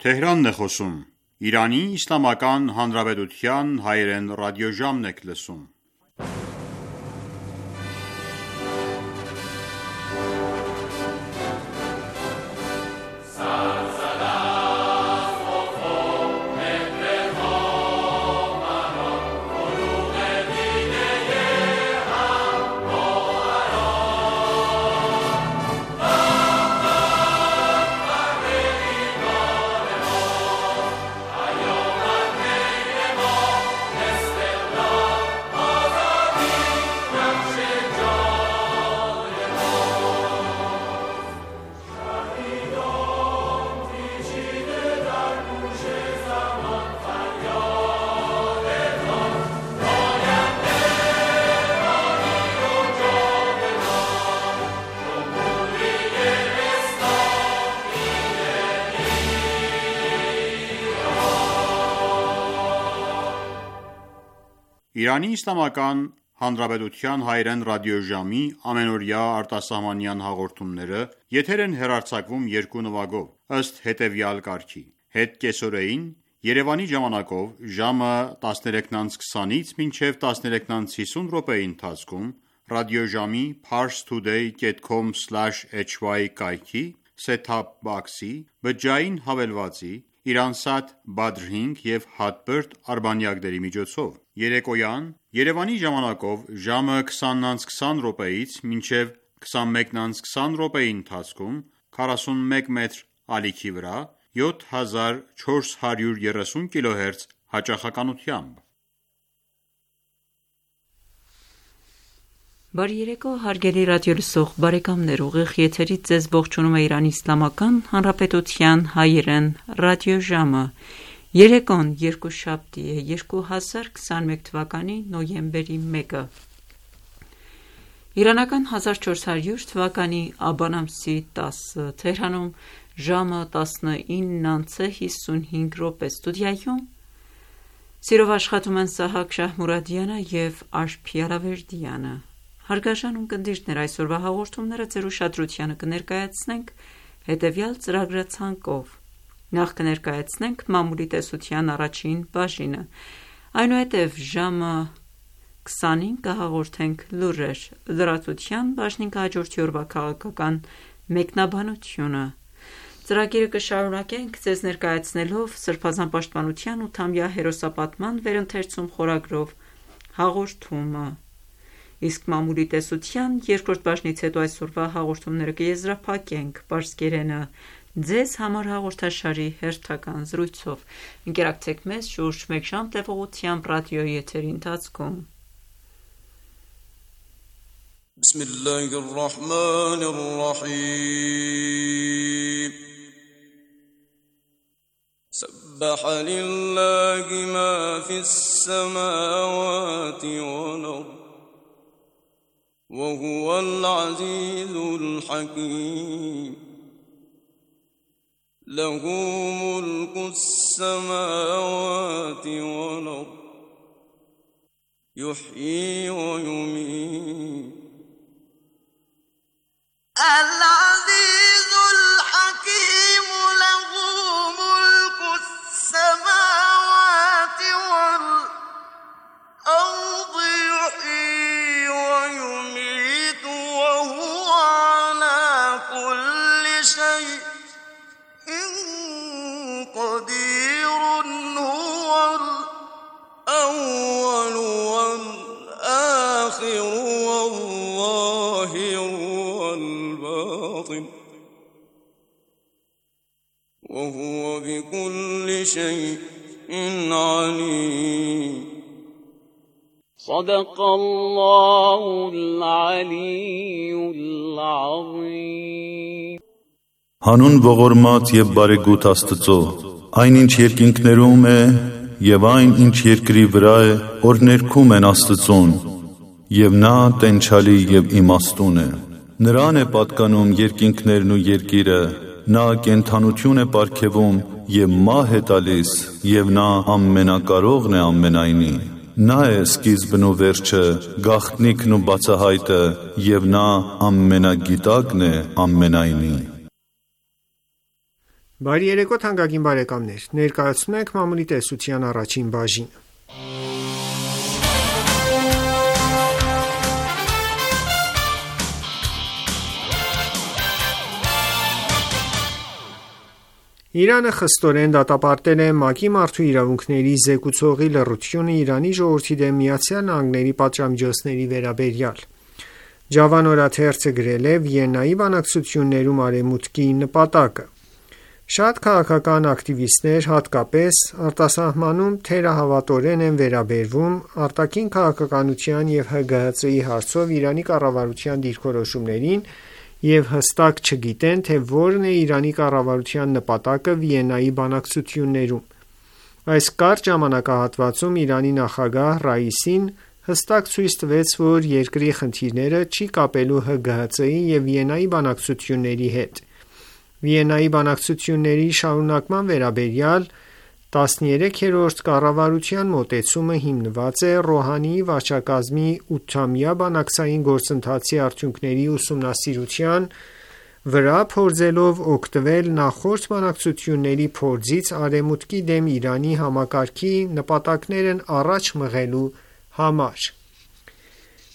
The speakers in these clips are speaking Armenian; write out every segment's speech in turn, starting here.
Թեհրանն է խոսում։ Իրանի Իսլամական Հանրապետության հայերեն ռադիոժամն եք լսում։ Իրանի Իսլամական Հանրապետության հայերեն ռադիոժամի ամենօրյա արտասահմանյան հաղորդումները եթեր են հեռարձակվում երկու նվագով, ըստ հետևյալ կարգի. Հետկեսօրեին Երևանի ժամանակով ժամը 13:20-ից մինչև 13:50 րոպեի ընթացքում ռադիոժամի parstoday.com/hy կայքի set-top box-ի բջջային հավելվածի Իրանսատ Badr 5 և Hotbird արբանյակների միջոցով։ Երեկոյան Երևանի ժամանակով ժամը 20:20 րոպեից մինչև 21:20 րոպեի ընթացքում 41 մետր ալիքի վրա 7430 կՀz հաճախականությամբ։ Բարի երեկո, հարգելի ռադիոլսող բարեկամներ, ուղիղ եթերից ձեզ ողջունում է Իրանի Իսլամական Հանրապետության հայերեն ռադիոժամը։ Երեկոն երկուշաբթի է 2021 թվականի նոյեմբերի 1-ը։ Իրանական 1400 թվականի աբան ամսի 10-ը, Թեհրանում ժամը 19:55 րոպե, ստուդիայում սիրով աշխատում են Սահակ Շահմուրադյանը և Աշփի Ալավերդյանը։ Հարգարժան ունկնդիրներ, այսօրվա հաղորդումները ձեր ուշադրությանը կներկայացնենք հետևյալ ծրագրացանկով. Նախ կներկայացնենք մամուլի տեսության առաջին բաժինը, այնուհետև ժամը 20-ին կհաղորդենք լուրեր, լրատվության բաժնին կհաջորդի օրվա քաղաքական մեկնաբանությունը։ Ծրագիրը կշարունակենք ձեզ ներկայացնելով Սրբազան պաշտպանության 8-ամյա հերոսապատման վերընթերցում խորագրով հաղորդումը։ Իսկ մամուլի տեսության երկրորդ բաժնից հետո այսօրվա հաղորդումները կեզրափակենք պարսկերենը ձեզ համար հաղորդաշարի հերթական զրույցով։ Ընկերակցեք մեզ շուրջ մեկ ժամ տևողությամբ ռադիոյի եթերի ընթացքում։ Բիսմիլլահիռռահմանիռռահիմ سبح لله ما في السماوات والأرض وهو العزيز الحكيم له ملك السماوات والأرض يحيي ويميت العزيز الحكيم له ملك السماوات والأرض يحيي ويميت وهو على كل شيء قدير هو الأول والآخر والظاهر والباطن وهو بكل شيء عليم صدق الله العلي العظيم Հանուն ողորմած և բարեգութ Աստծո, այն ինչ երկինքներում է և այն ինչ երկրի վրա է, որ ներքում են Աստծուն, և նա տենչալի և իմաստուն է։ Նրան է պատկանում երկինքներն ու երկիրը, նա կենդանություն է պարգևում և մահ է տալիս, և նա ամենակարողն է ամենայնի։ Նա է սկիզբն ու վերջը, գաղտնիքն ու բացահայտը, և նա ամենագիտակն է ամենայնի։ Բարի երեկո թանկագին բարեկամներ, ներկայացնում ենք մամուլի տեսության առաջին բաժինը։ Իրանը խստորեն դատապարտել է ՄԱԿ-ի մարդու իրավունքների զեկուցողի լռությունը Իրանի ժողովրդի դեմ ԱՄՆ-ի պատժամիջոցների վերաբերյալ։ Ջավան օրաթերթը գրել է Վիեննայի բանակցություններում Արևմուտքի նպատակը։ Շատ քաղաքական ակտիվիստներ հատկապես արտասահմանում թերահավատորեն են վերաբերվում արտաքին քաղաքականության և ՀԳՀԾ-ի հարցով Իրանի կառավարության դիրքորոշումներին և հստակ չգիտեն, թե որն է Իրանի կառավարության նպատակը Վիեննայի բանակցություններում։ Այս կարճ ժամանակահատվածում Իրանի նախագահ Ռայիսին հստակ ցույց տվեց, որ երկրի խնդիրները չի կապելու ՀԳՀԾ-ի և Վիեննայի բանակցությունների հետ։ Վիեննայի բանակցությունների շարունակման վերաբերյալ 13-րդ կառավարության մոտեցումը հիմնված է Ռոհանիի վարչակազմի 8-ամյա բանակցային գործընթացի արդյունքների ուսումնասիրության վրա, փորձելով օգտվել նախորդ բանակցությունների փորձից Արևմուտքի դեմ Իրանի համակարգի նպատակներն առաջ մղելու համար։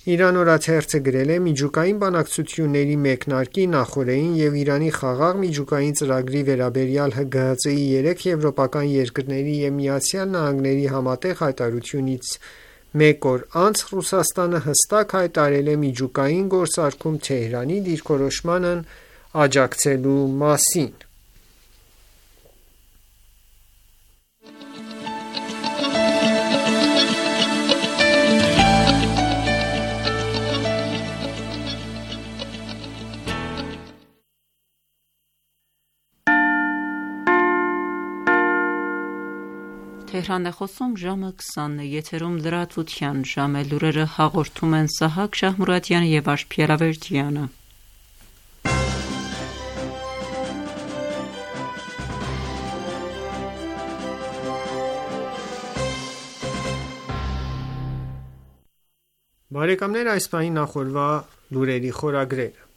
Իրան օրաթերթը գրել է միջուկային բանակցությունների մեկնարկի նախօրեին և Իրանի խաղաղ միջուկային ծրագրի վերաբերյալ ՀԳՀԾ-ի 3 եվրոպական երկրների և ԱՄՆ-ի համատեղ հայտարարությունից մեկ օր անց Ռուսաստանը հստակ հայտարարել է միջուկային գործարքում Թեհրանի դիրքորոշմանն աջակցելու մասին։ Թեհրան է խոսում ժամը 20-ն է, եթերում լրատվության ժամ է, լուրերը հաղորդում են Սահակ Շահմուրադյանը և Աշխ Փիերավերդյանը։ Բարեկամներ, այս պահին նախորդ լուրերի խորագրերը։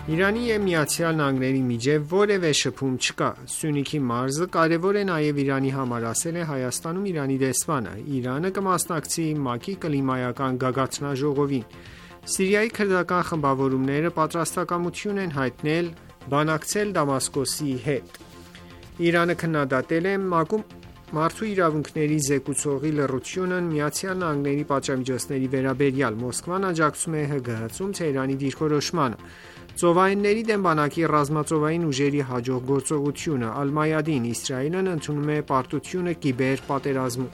Իրանի և ԱՄՆ-ի միջև որևէ շփում չկա։ Սյունիքի մարզը կարևոր է նաև Իրանի համար, ասել է Հայաստանում Իրանի դեսպանը։ Իրանը կմասնակցի ՄԱԿ-ի կլիմայական գագաթնաժողովին։ Սիրիայի քրդական խմբավորումները պատրաստակամություն են հայտնել բանակցել Դամասկոսի հետ։ Իրանը քննադատել է ՄԱԿ-ում մարդու իրավունքների զեկուցողի լռությունն ԱՄՆ-ի պատժամիջոցների վերաբերյալ։ Մոսկվան աջակցում է ՀԳՀԾ-ում Թեհրանի դիրքորոշմանը։ Ծովայինների դեմ բանակի ռազմածովային ուժերի հաջող գործողությունը։ Ալ-Մայադին, Իսրայելն ընդունում է պարտությունը կիբեր պատերազմում։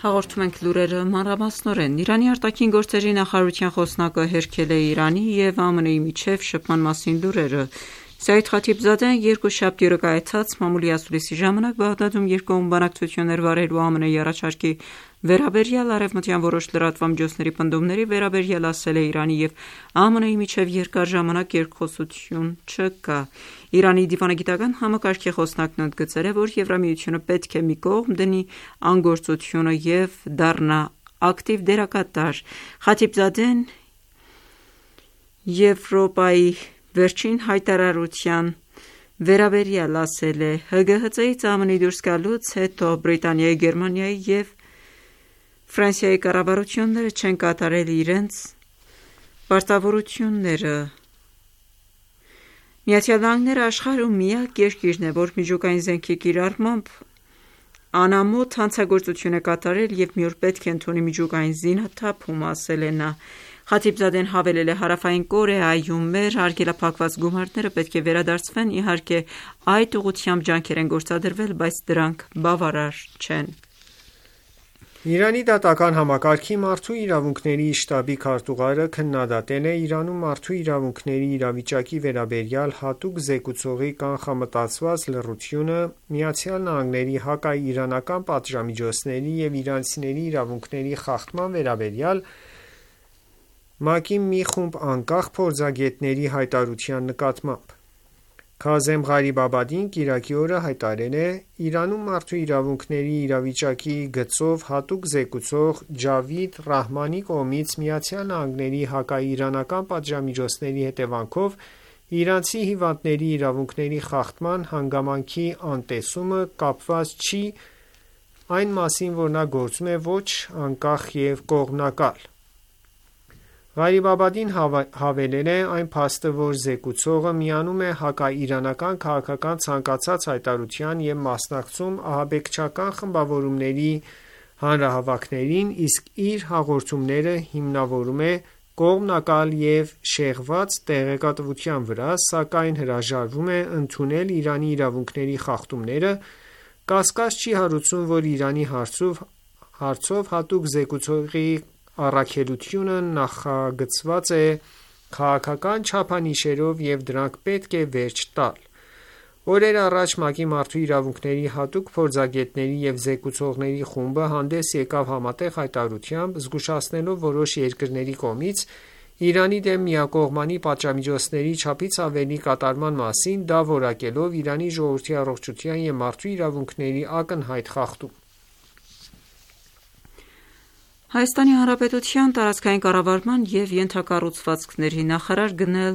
Հաղորդում ենք լուրերը մանրամասնորեն։ Իրանի արտաքին գործերի նախարարության խոսնակը հերքել է Իրանի և ԱՄՆ-ի միջև շփման մասին լուրերը։ Սայիդ Խաթիբզադեն երկուշաբթի օրը կայացած մամուլի ասուլիսի ժամանակ Բաղդադում երկկողմ բանակցություններ վարելու ԱՄՆ-ի առաջարկի վերաբերյալ արևմտյան որոշ լրատվամիջոցների պնդումների վերաբերյալ ասել է Իրանի և ԱՄՆ-ի միջև երկար ժամանակ երկխոսություն չկա։ Իրանի դիվանագիտական համակարգի խոսնակն ընդգծել է, որ Եվրամիությունը պետք է մի կողմ դնի անգործությունը և դառնա ակտիվ դերակատար։ Խաթիբզադեն Եվրոպայի վերջին հայտարարության վերաբերյալ ասել է. ՀԳՀԾ-ից ԱՄՆ-ի դուրս գալուց հետո Բրիտանիայի, Գերմանիայի և Ֆրանսիայի կառավարությունները չեն կատարել իրենց պարտավորությունները։ ԱՄՆ-ն աշխարհում միակ երկիրն է, որ միջուկային զենքի կիրառմամբ անամոթ հանցագործություն է կատարել և մի օր պետք է ընդունի միջուկային զինաթափում, ասել է նա։ Խաթիբզադեն հավելել է. Հարավային Կորեայում մեր արգելափակված գումարները պետք է վերադարձվեն, իհարկե այդ ուղղությամբ ջանքեր են գործադրվել, բայց դրանք բավարար չեն։ Իրանի դատական համակարգի մարդու իրավունքների շտաբի քարտուղարը քննադատել է Իրանում մարդու իրավունքների իրավիճակի վերաբերյալ հատուկ զեկուցողի կանխամտածված լռությունը ԱՄՆ-ի հակաիրանական պատժամիջոցների և իրանցիների իրավունքների խախտման վերաբերյալ ՄԱԿ-ի մի խումբ անկախ փորձագետների հայտարարության նկատմամբ։ Քազեմ Ղարիբաբադին կիրակի օրը հայտարարել է. «Իրանում մարդու իրավունքների իրավիճակի գծով հատուկ զեկուցող Ջավիդ Ռահմանի կողմից ԱՄՆ-ի հակաիրանական պատժամիջոցների հետևանքով իրանցի հիվանդների իրավունքների խախտման հանգամանքի անտեսումը կապված չի այն մասին, որ նա գործում է ոչ անկախ և կողմնակալ»։ Ղարիբաբադին հավելել է. «Այն փաստը, որ զեկուցողը միանում է հակաիրանական քաղաքական ցանկացած հայտարարության և մասնակցում ահաբեկչական խմբավորումների հանրահավաքներին, իսկ իր հաղորդումները հիմնավորում է կողմնակալ և շեղված տեղեկատվության վրա, սակայն հրաժարվում է ընդունել Իրանի իրավունքների խախտումները, կասկած չի հարուցում, որ Իրանի հարցով հատուկ զեկուցողի առաքելությունը նախագծված է քաղաքական չափանիշերով և դրանք պետք է վերջ տալ»։ Օրեր առաջ ՄԱԿ-ի Մարդու իրավունքների հատուկ փորձագետների և զեկուցողների խումբը հանդես եկավ համատեղ հայտարարությամբ, զգուշացնելով որոշ երկրների կողմից Իրանի դեմ միակողմանի պատժամիջոցների չափից ավելի կատարման մասին, դա որակելով Իրանի ժողովրդի առողջության և մարդու իրավունքների ակնհայտ խախտում։ Հայաստանի Հանրապետության տարածքային կառավարման և ենթակառուցվածքների նախարար գնել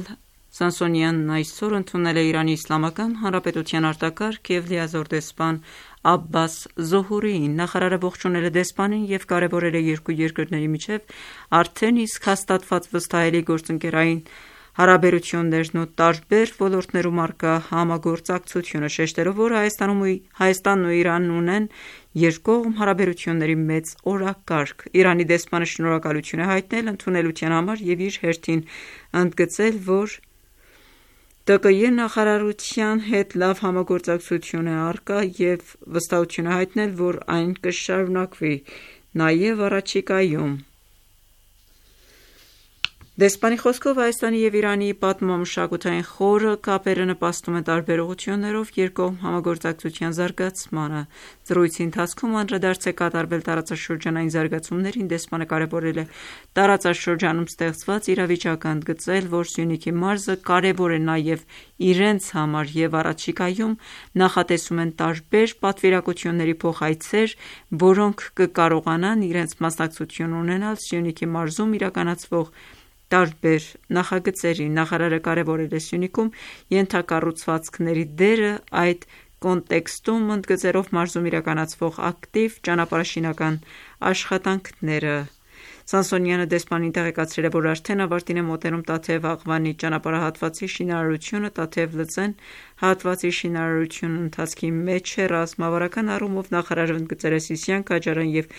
Սամսոնյանն այսօր ընդունել է Իրանի Իսլամական Հանրապետության արտակարգ և լիազոր դեսպան Աբբաս Զոհուրիին։ Նախարարը ողջունել է դեսպանին և կարևորել է երկու երկրների միջև արդեն իսկ հաստատված վստահելի գործընկերային հարաբերություններն ու տարբեր ոլորտներում առկա համագործակցությունը, շեշտելով, որ Հայաստանն ու Իրանն ունեն երկկողմ հարաբերությունների մեծ օրակարգ։ Իրանի դեսպանը շնորհակալություն է հայտնել ընդունելության համար և իր հերթին ընդգծել, որ ՏԿՅ նախարարության հետ լավ համագործակցություն է առկա և վստահություն է հայտնել, որ այն կշարունակվի նաև առաջիկայում։ Դեսպանի խոսքով Հայաստանի և Իրանի պատմամշակութային խորը կապերը նպաստում են տարբեր ուղղություններով երկկողմ համագործակցության զարգացմանը։ Զրույցի ընթացքում անդրադարձ է կատարվել տարածաշրջանային զարգացումներին, դեսպանը կարևորել է տարածաշրջանում ստեղծված իրավիճակը, ընդգծել, որ Սյունիքի մարզը կարևոր է նաև իրենց համար և առաջիկայում նախատեսում են տարբեր պատվիրակությունների փոխայցեր, որոնք կկարողանան իրենց մասնակցություն ունենալ Սյունիքի մարզում իրականացվող տարբեր նախագծերի։ Նախարարը կարևորել է Սյունիքում ենթակառուցվածքների դերը այդ կոնտեքստում, ընդգծելով մարզում իրականացվող ակտիվ ճանապարհաշինական աշխատանքները։ Սամսոնյանը դեսպանին տեղեկացրել է, որ արդեն ավարտին է մոտենում Տաթև-Աղվանի ճանապարհահատվածի շինարարությունը։ Տաթև-Լծեն հատվածի շինարարությունն ընթացքի մեջ է։ Ռազմավարական առումով նախարարը ընդգծել է Սիսիան-Քաջարան և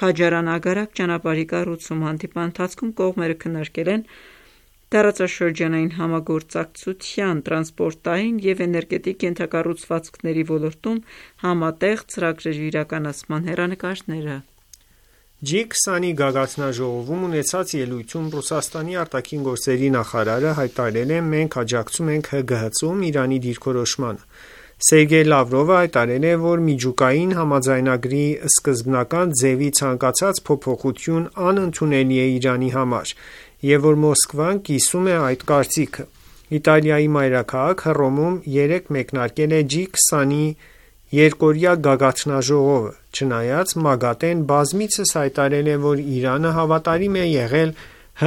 Քաջարան-Ագարակ ճանապարհի կառուցումը։ Հանդիպման ընթացքում կողմերը քննարկել են տարածաշրջանային համագործակցության, տրանսպորտային և էներգետիկ ենթակառուցվածքների ոլորտում համատեղ ծրագրերի իրականացման հեռանկարները։ G20-ի գագաթնաժողովում ունեցած ելույթում Ռուսաստանի արտաքին գործերի նախարարը հայտարարել է. «Մենք աջակցում ենք ՀԳՀԾ-ում Իրանի դիրքորոշմանը»։ Սերգեյ Լավրովը հայտարարել է, որ միջուկային համաձայնագրի սկզբնական ձևի ցանկացած փոփոխություն անընդունելի է Իրանի համար և որ Մոսկվան կիսում է այդ կարծիքը։ Իտալիայի մայրաքաղաք Հռոմում երեկ մեկնարկել է G20-ի երկօրյա գագաթնաժողովը։ Չնայած ՄԱԳԱՏԷ-ն բազմիցս հայտարարել է, որ Իրանը հավատարիմ է եղել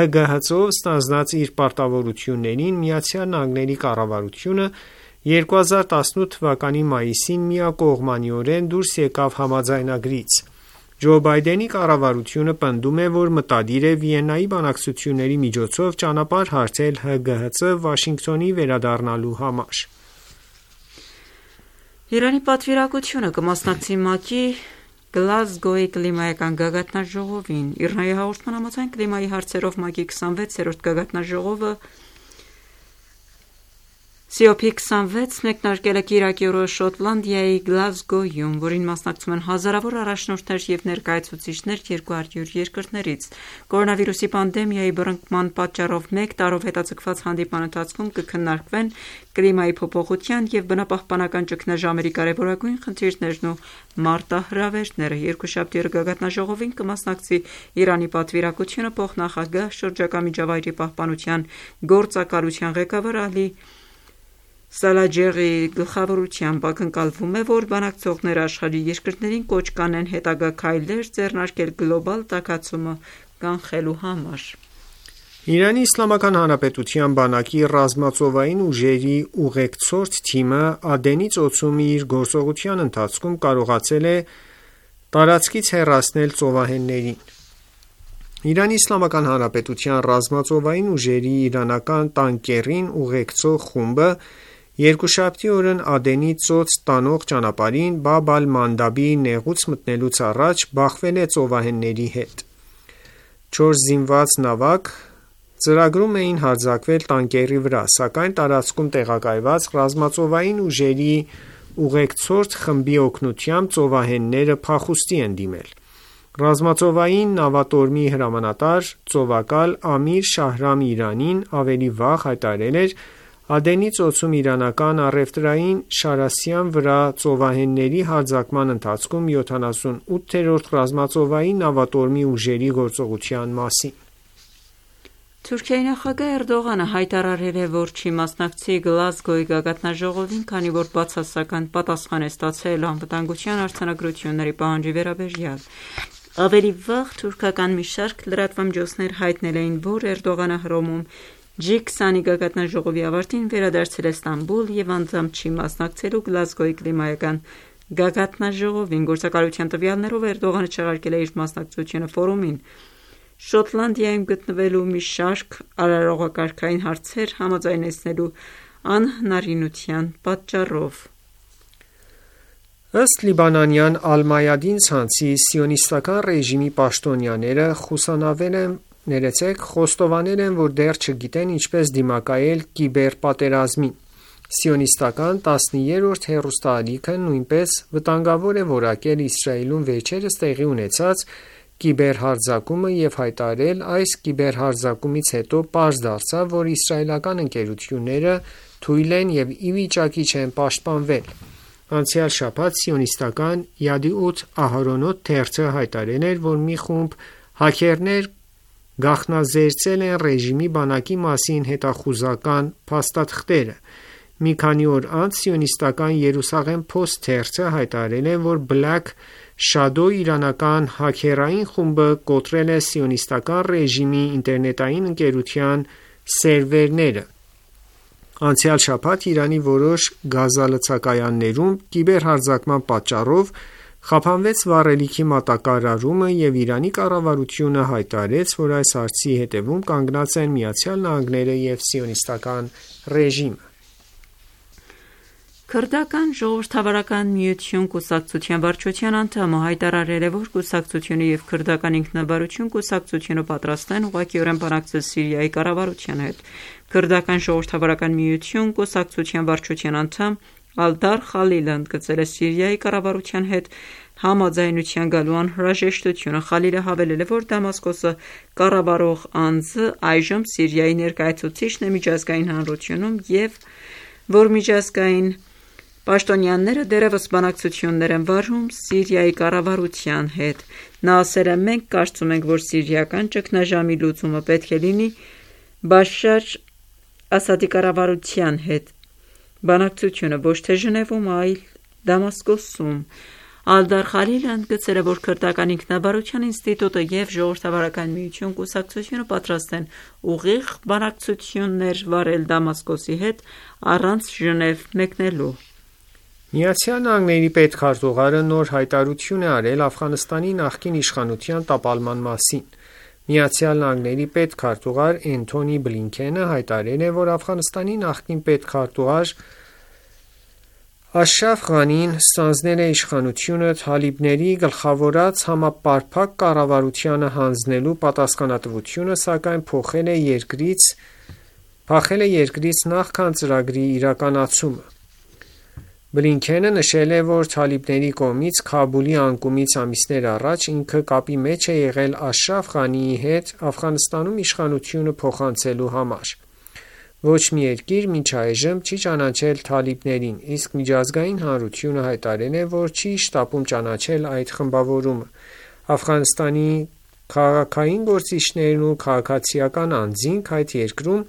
ՀԳՀԾ-ով ստանձնած իր պարտավորություններին, ԱՄՆ կառավարությունը 2018 թվականի մայիսին միակողմանիորեն դուրս եկավ համաձայնագրից։ Ջո Բայդենի կառավարությունը պնդում է, որ մտադիր է Վիեննայի բանակցությունների միջոցով ճանապարհ հարթել ՀԳՀԾ Վաշինգտոնի վերադառնալու համար։ Իրանի պատվիրակությունը կմասնակցի ՄԱԿ-ի Գլազգոյի կլիմայական գագաթնաժողովին։ ԻՌՆԱ-ի հաղորդման համաձայն կլիմայի հարցերով ՄԱԿ-ի 26-րդ գագաթնաժողովը COP26 մեկնարկել է կիրակի օրը Շոտլանդիայի Գլազգոյում, որին մասնակցում են հազարավոր առաջնորդներ և ներկայացուցիչներ 200 երկրներից։ Կորոնավիրուսի պանդեմիայի բռնկման պատճառով մեկ տարով հետաձգված հանդիպման ընթացքում կքննարկվեն կլիմայի փոփոխության և բնապահպանական ճգնաժամերի կարևորագույն խնդիրներն ու մարտահրավերները։ Երկուշաբթի օրը գագաթնաժողովին կմասնակցի Իրանի պատվիրակությունը փոխնախագահ, շրջակա միջավայրի պահպանության գործակալության ղեկավար Ալի Սալաջեղի գլխավորությամբ ակնկալվում է, որ բանակցողները աշխարհի երկրներին կոչ կանեն հետագա քայլեր ձեռնարկել գլոբալ տաքացումը կանխելու համար։ Իրանի Իսլամական Հանրապետության բանակի ռազմածովային ուժերի ուղեկցորդ թիմը Ադենի ծոցում իր գործողության ընթացքում կարողացել է տարածքից հեռացնել ծովահեններին։ Իրանի Իսլամական Հանրապետության ռազմածովային ուժերի իրանական տանկերին ուղեկցող խումբը երկուշաբթի օրն Ադենի ծոց տանող ճանապարհին Բաբ ալ-Մանդաբի նեղուց մտնելուց առաջ բախվել է ծովահենների հետ։ 4 զինված նավակ ծրագրում էին հարձակվել տանկերի վրա, սակայն տարածքում տեղակայված ռազմածովային ուժերի ուղեկցորդ խմբի օգնությամբ ծովահենները փախուստի են դիմել։ Ռազմածովային նավատորմի հրամանատար ծովակալ Ամիր Շահրամ Իրանին ավելի վաղ հայտարարել էր Ադենի ծոցում իրանական առևտրային շարասյան վրա ծովահենների հարձակման ընթացքում 78-րդ ռազմածովային նավատորմի ուժերի գործողության մասին։ Թուրքիայի նախագահ Էրդողանը հայտարարել է, որ չի մասնակցի Գլազգոյի գագաթնաժողովին, քանի որ բացասական պատասխան է ստացել անվտանգության արձանագրությունների պահանջի վերաբերյալ։ Ավելի վաղ թուրքական մի շարք լրատվամիջոցներ հայտնել էին, որ Էրդողանը Հռոմում G20 գագաթնաժողովի ավարտին վերադարձել է Ստամբուլ եւ անձամբ չի մասնակցելու Գլազգոյի կլիմայական գագաթնաժողովին։ Գործակալության տվյալներով Էրդողանը չեղարկել է իր մասնակցությունը ֆորումին Շոտլանդիայում գտնվելու մի շարք արարողակարգային հարցեր համաձայնեցնելու անհնարինության պատճառով։ Ըստ լիբանանյան Ալ-Մայադին ցանցի սիոնիստական ռեժիմի պաշտոնյաները խոստովանել են, որ դեռ չգիտեն ինչպես դիմակայել կիբերպատերազմին։ Սիոնիստական 10-րդ հեռուստաալիքը նույնպես վտանգավոր է որակել Իսրայելում վերջերս տեղի ունեցած կիբերհարձակումը եւ հայտարարել այս կիբերհարձակումից հետո պարզ դարձավ, որ իսրայելական ընկերությունները թույլ են եւ ի վիճակի չեն պաշտպանվել։ Անցյալ շաբաթ սիոնիստական Yadiout Aharonot թերթը հայտարարել էր, որ մի խումբ հաքերներ գաղտնազերծել են ռեժիմի բանակի մասին հետախուզական փաստաթղթերը։ Մի քանի օր անց սիոնիստական Երուսաղեմ Post թերթը հայտարարել է, որ Black Shadow իրանական հաքերային խումբը կոտրել է սիոնիստական ռեժիմի ինտերնետային ընկերության սերվերները։ Անցյալ շաբաթ Իրանի որոշ գազալցակայաններում կիբերհարձակման պատճառով խափանվեց վառելիքի մատակարարումը եւ Իրանի կառավարությունը հայտարարեց, որ այս հարցի հետևում կանգնած են ԱՄՆ-ը եւ սիոնիստական ռեժիմը։ Քրդական ժողովրդավարական միություն կուսակցության վարչության անդամը հայտարարել է, որ կուսակցությունը եւ քրդական ինքնավարություն կուսակցությունը պատրաստ են ուղղակիորեն բանակցել Սիրիայի կառավարության հետ։ Քրդական ժողովրդավարական միություն կուսակցության վարչության անդամ Ալդար Խալիլը ընդգծել է Սիրիայի կառավարության հետ համաձայնության գալու անհրաժեշտությունը։ Խալիլը հավելել է, որ Դամասկոսը կառավարող անձը այժմ Սիրիայի ներկայացուցիչն է միջազգային հանրությունում եւ որ միջազգային պաշտոնյաները դեռևս բանակցություններ են վարում Սիրիայի կառավարության հետ։ Նա ասել է. «Մենք կարծում ենք, որ սիրիական ճգնաժամի լուծումը պետք է լինի Բաշար Ասադի կառավարության հետ բանակցությունը ոչ թե Ժնևում, այլ Դամասկոսում»։ Ալդար Խալիլը ընդգծել է, որ քրդական ինքնավարության ինստիտուտը եւ ժողովրդավարական միություն կուսակցությունը պատրաստ են ուղիղ բանակցություններ վարել Դամասկոսի հետ առանց Ժնև մեկնելու։ ԱՄՆ-ի պետքարտուղարը նոր հայտարարություն է արել Աֆղանստանի նախկին իշխանության տապալման մասին։ ԱՄՆ-ի պետքարտուղար Էնթոնի Բլինքենը հայտարարել է, որ Աֆղանստանի նախկին պետքարտուղար Աշրաֆ Ղանին ստանձնել է իշխանությունը թալիբների գլխավորած համապարփակ կառավարությանը հանձնելու պատասխանատվությունը, սակայն փախել է երկրից նախքան ծրագրի իրականացումը։ Բլինքենը նշել է, որ թալիբների կողմից Քաբուլի անկումից ամիսներ առաջ ինքը կապի մեջ է եղել Աշրաֆ Ղանիի հետ Աֆղանստանում իշխանությունը փոխանցելու համար։ Ոչ մի երկիր մինչ այժմ չի ճանաչել թալիբներին, իսկ միջազգային հանրությունը հայտարարել է, որ չի շտապում ճանաչել այդ խմբավորումը։ Աֆղանստանի քաղաքային գործիչներն ու քաղաքացիական անձինք այդ երկրում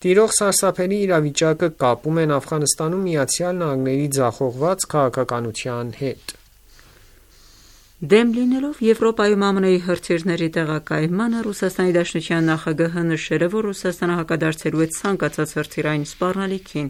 Տիրող սարսափելի իրավիճակը կապում են Աֆղանստանում ԱՄՆ-ի ձախողված քաղաքականության հետ։ Դեմ լինելով Եվրոպայում ԱՄՆ-ի հրթիռների տեղակայմանը, Ռուսաստանի Դաշնության նախագահը նշել է, որ Ռուսաստանը հակադարձելու է ցանկացած հրթիռային սպառնալիքին։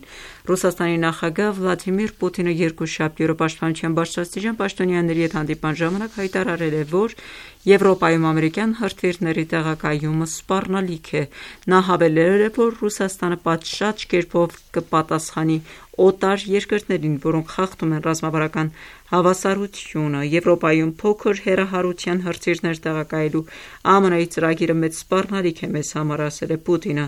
Ռուսաստանի նախագահ Վլադիմիր Պուտինը երկուշաբթի օրը Պաշտպանության բարձրաստիճան պաշտոնյաների հետ հանդիպման ժամանակ հայտարարել է, որ Եվրոպայում ամերիկյան հրթիռների տեղակայումը սպառնալիք է։ Նա հավելել է, որ Ռուսաստանը պատշաճ կերպով կպատասխանի օտար երկրներին, որոնք խախտում են ռազմավարական հավասարությունը։ Եվրոպայում փոքր հեռահարության հրթիռներ տեղակայելու ԱՄՆ-ի ծրագիրը մեծ սպառնալիք է մեզ համար, ասել է Պուտինը։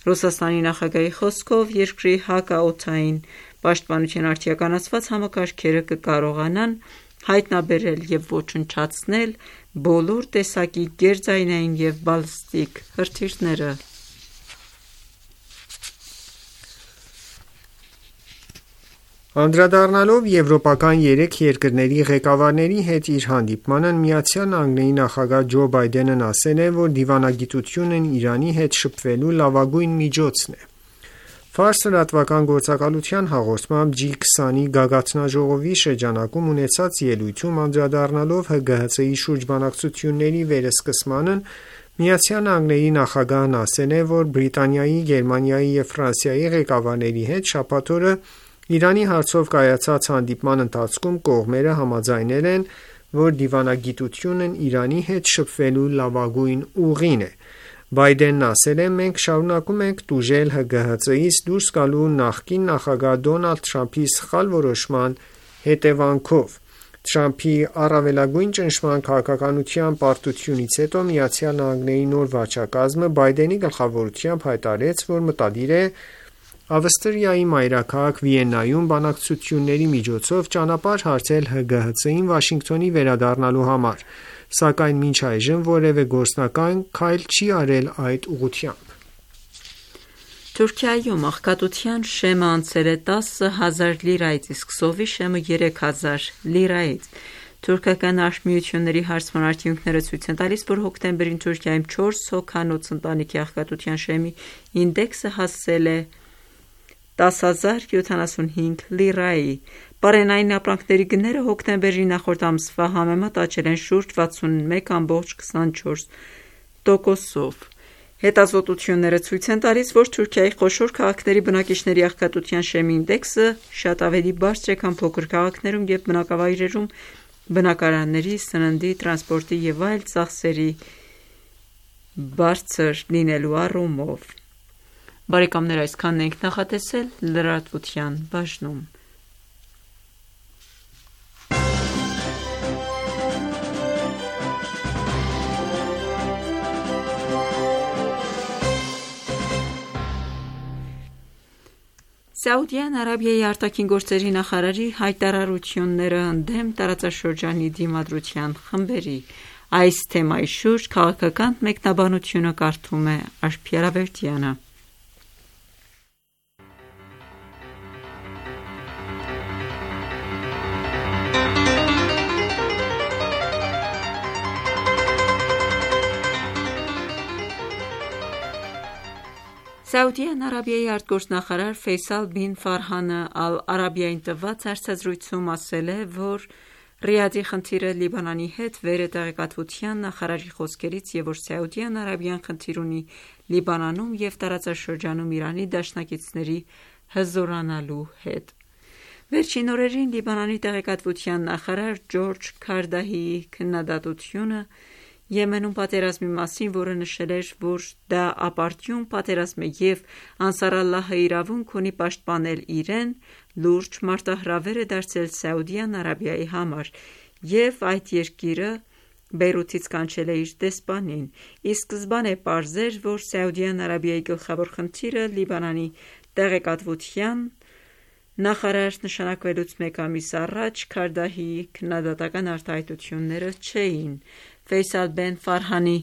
Ռուսաստանի նախագահի խոսքով երկրի հակաօդային պաշտպանության արդիականացված համակարգերը կկարողանան հայտնաբերել և ոչնչացնել բոլոր տեսակի գերձայնային և բալիստիկ հրթիռները։ Անդրադառնալով եվրոպական 3 երկրների ղեկավարների հետ իր հանդիպմանը, ԱՄՆ նախագահ Ջո Բայդենն ասել է, որ դիվանագիտությունն Իրանի հետ շփվելու լավագույն միջոցն է։ Ֆարս լրատվական գործակալության հաղորդմամբ G20-ի գագաթնաժողովի շրջանակում ունեցած ելույթում անդրադառնալով ՀԳՀԾ-ի շուրջ բանակցությունների վերսկսմանն, ԱՄՆ նախագահն ասել է, որ Բրիտանիայի, Գերմանիայի և Ֆրանսիայի ղեկավարների հետ շաբաթ օրը Իրանի հարցով կայացած հանդիպման ընթացքում կողմերը համաձայնել են, որ դիվանագիտությունն Իրանի հետ շփվելու լավագույն ուղին է։ Բայդենն ասել է. «Մենք շարունակում ենք տուժել ՀԳՀԾ-ից դուրս գալու նախկին նախագահ Դոնալդ Թրամփի սխալ որոշման հետևանքով»։ Թրամփի առավելագույն ճնշման քաղաքականության պարտությունից հետո ԱՄՆ-ի նոր վարչակազմը Բայդենի գլխավորությամբ հայտարարեց, որ մտադիր է Ավստրիայի մայրաքաղաք Վիեննայում բանակցությունների միջոցով ճանապարհ հարթել ՀԳՀԾ-ին Վաշինգտոնի վերադառնալու համար, սակայն մինչ այժմ որևէ գործնական քայլ չի արել այդ ուղղությամբ։ Թուրքիայում աղքատության շեմը անցել է 10,000 լիրայից, իսկ սովի շեմը 3,000 լիրայից։ Թուրքական արհմիությունների հարցման արդյունքները ցույց են տալիս, որ հոկտեմբերին Թուրքիայում 4 հոգանոց ընտանիքի աղքատության շեմի ինդեքսը հասել է 10,075 լիրայի։ Պարենային ապրանքների գները հոկտեմբերի նախորդ ամսվա համեմատ աճել են շուրջ 61,24%-ով։ Հետազոտությունները ցույց են տալիս, որ Թուրքիայի խոշոր քաղաքների բնակիչների աղքատության շեմի ինդեքսը շատ ավելի բարձր է, քան փոքր քաղաքներում և բնակավայրերում բնակարանների, սննդի, տրանսպորտի և այլ ծախսերի բարձր լինելու առումով։ Բարեկամներ, այսքանն ենք նախատեսել լրատվության բաժնում։ Սաուդյան Արաբիայի արտաքին գործերի նախարարի հայտարարությունները ընդդեմ տարածաշրջանի դիմադրության խմբերի։ Այս թեմայի շուրջ քաղաքական մեկնաբանությունը կարդում է Աշխարհավերդյանը։ Սաուդյան Արաբիայի արտգործնախարար Ֆեյսալ բին Ֆարհանը Ալ-Արաբիային տված հարցազրույցում ասել է, որ Ռիադի խնդիրը Լիբանանի հետ վեր է տեղեկատվության նախարարի խոսքերից և որ Սաուդյան Արաբիան խնդիր ունի Լիբանանում և տարածաշրջանում Իրանի դաշնակիցների հզորանալու հետ։ Վերջին օրերին Լիբանանի տեղեկատվության նախարար Ջորջ Քարդահիի քննադատությունը Եմենում պատերազմի մասին, որը նշել էր, որ դա ապարդյուն պատերազմ է և Անսար Ալլահը իրավունք ունի պաշտպանել իրեն, լուրջ մարտահրավեր է դարձել Սաուդյան Արաբիայի համար և այդ երկիրը Բեյրութից կանչել է իր դեսպանին։ Ի սկզբանե պարզ էր, որ Սաուդյան Արաբիայի գլխավոր խնդիրը Լիբանանի տեղեկատվության նախարար նշանակվելուց մեկ ամիս առաջ Քարդահիի քննադատական արտահայտությունները չէին։ Ֆեյսալ բեն Ֆարհանի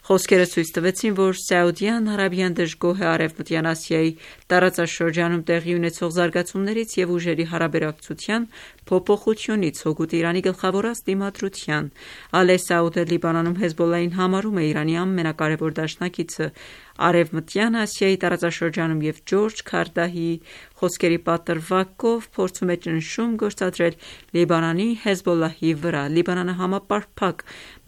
խոսքերը ցույց տվեցին, որ Սաուդյան Արաբիան դժգոհ է Արևմտյան Ասիայի տարածաշրջանում տեղի ունեցող զարգացումներից և ուժերի հարաբերակցության փոփոխությունից հօգուտ Իրանի գլխավորած դիմադրության։ Ալե Սաուդը Լիբանանում Հեզբոլլահին համարում է Իրանի ամենակարևոր դաշնակիցը Արևմտյան Ասիայի տարածաշրջանում և Ջորջ Քարդահիի խոսքերի պատրվակով փորձում է ճնշում գործադրել Լիբանանի Հեզբոլլահի վրա։ Լիբանանը համապարփակ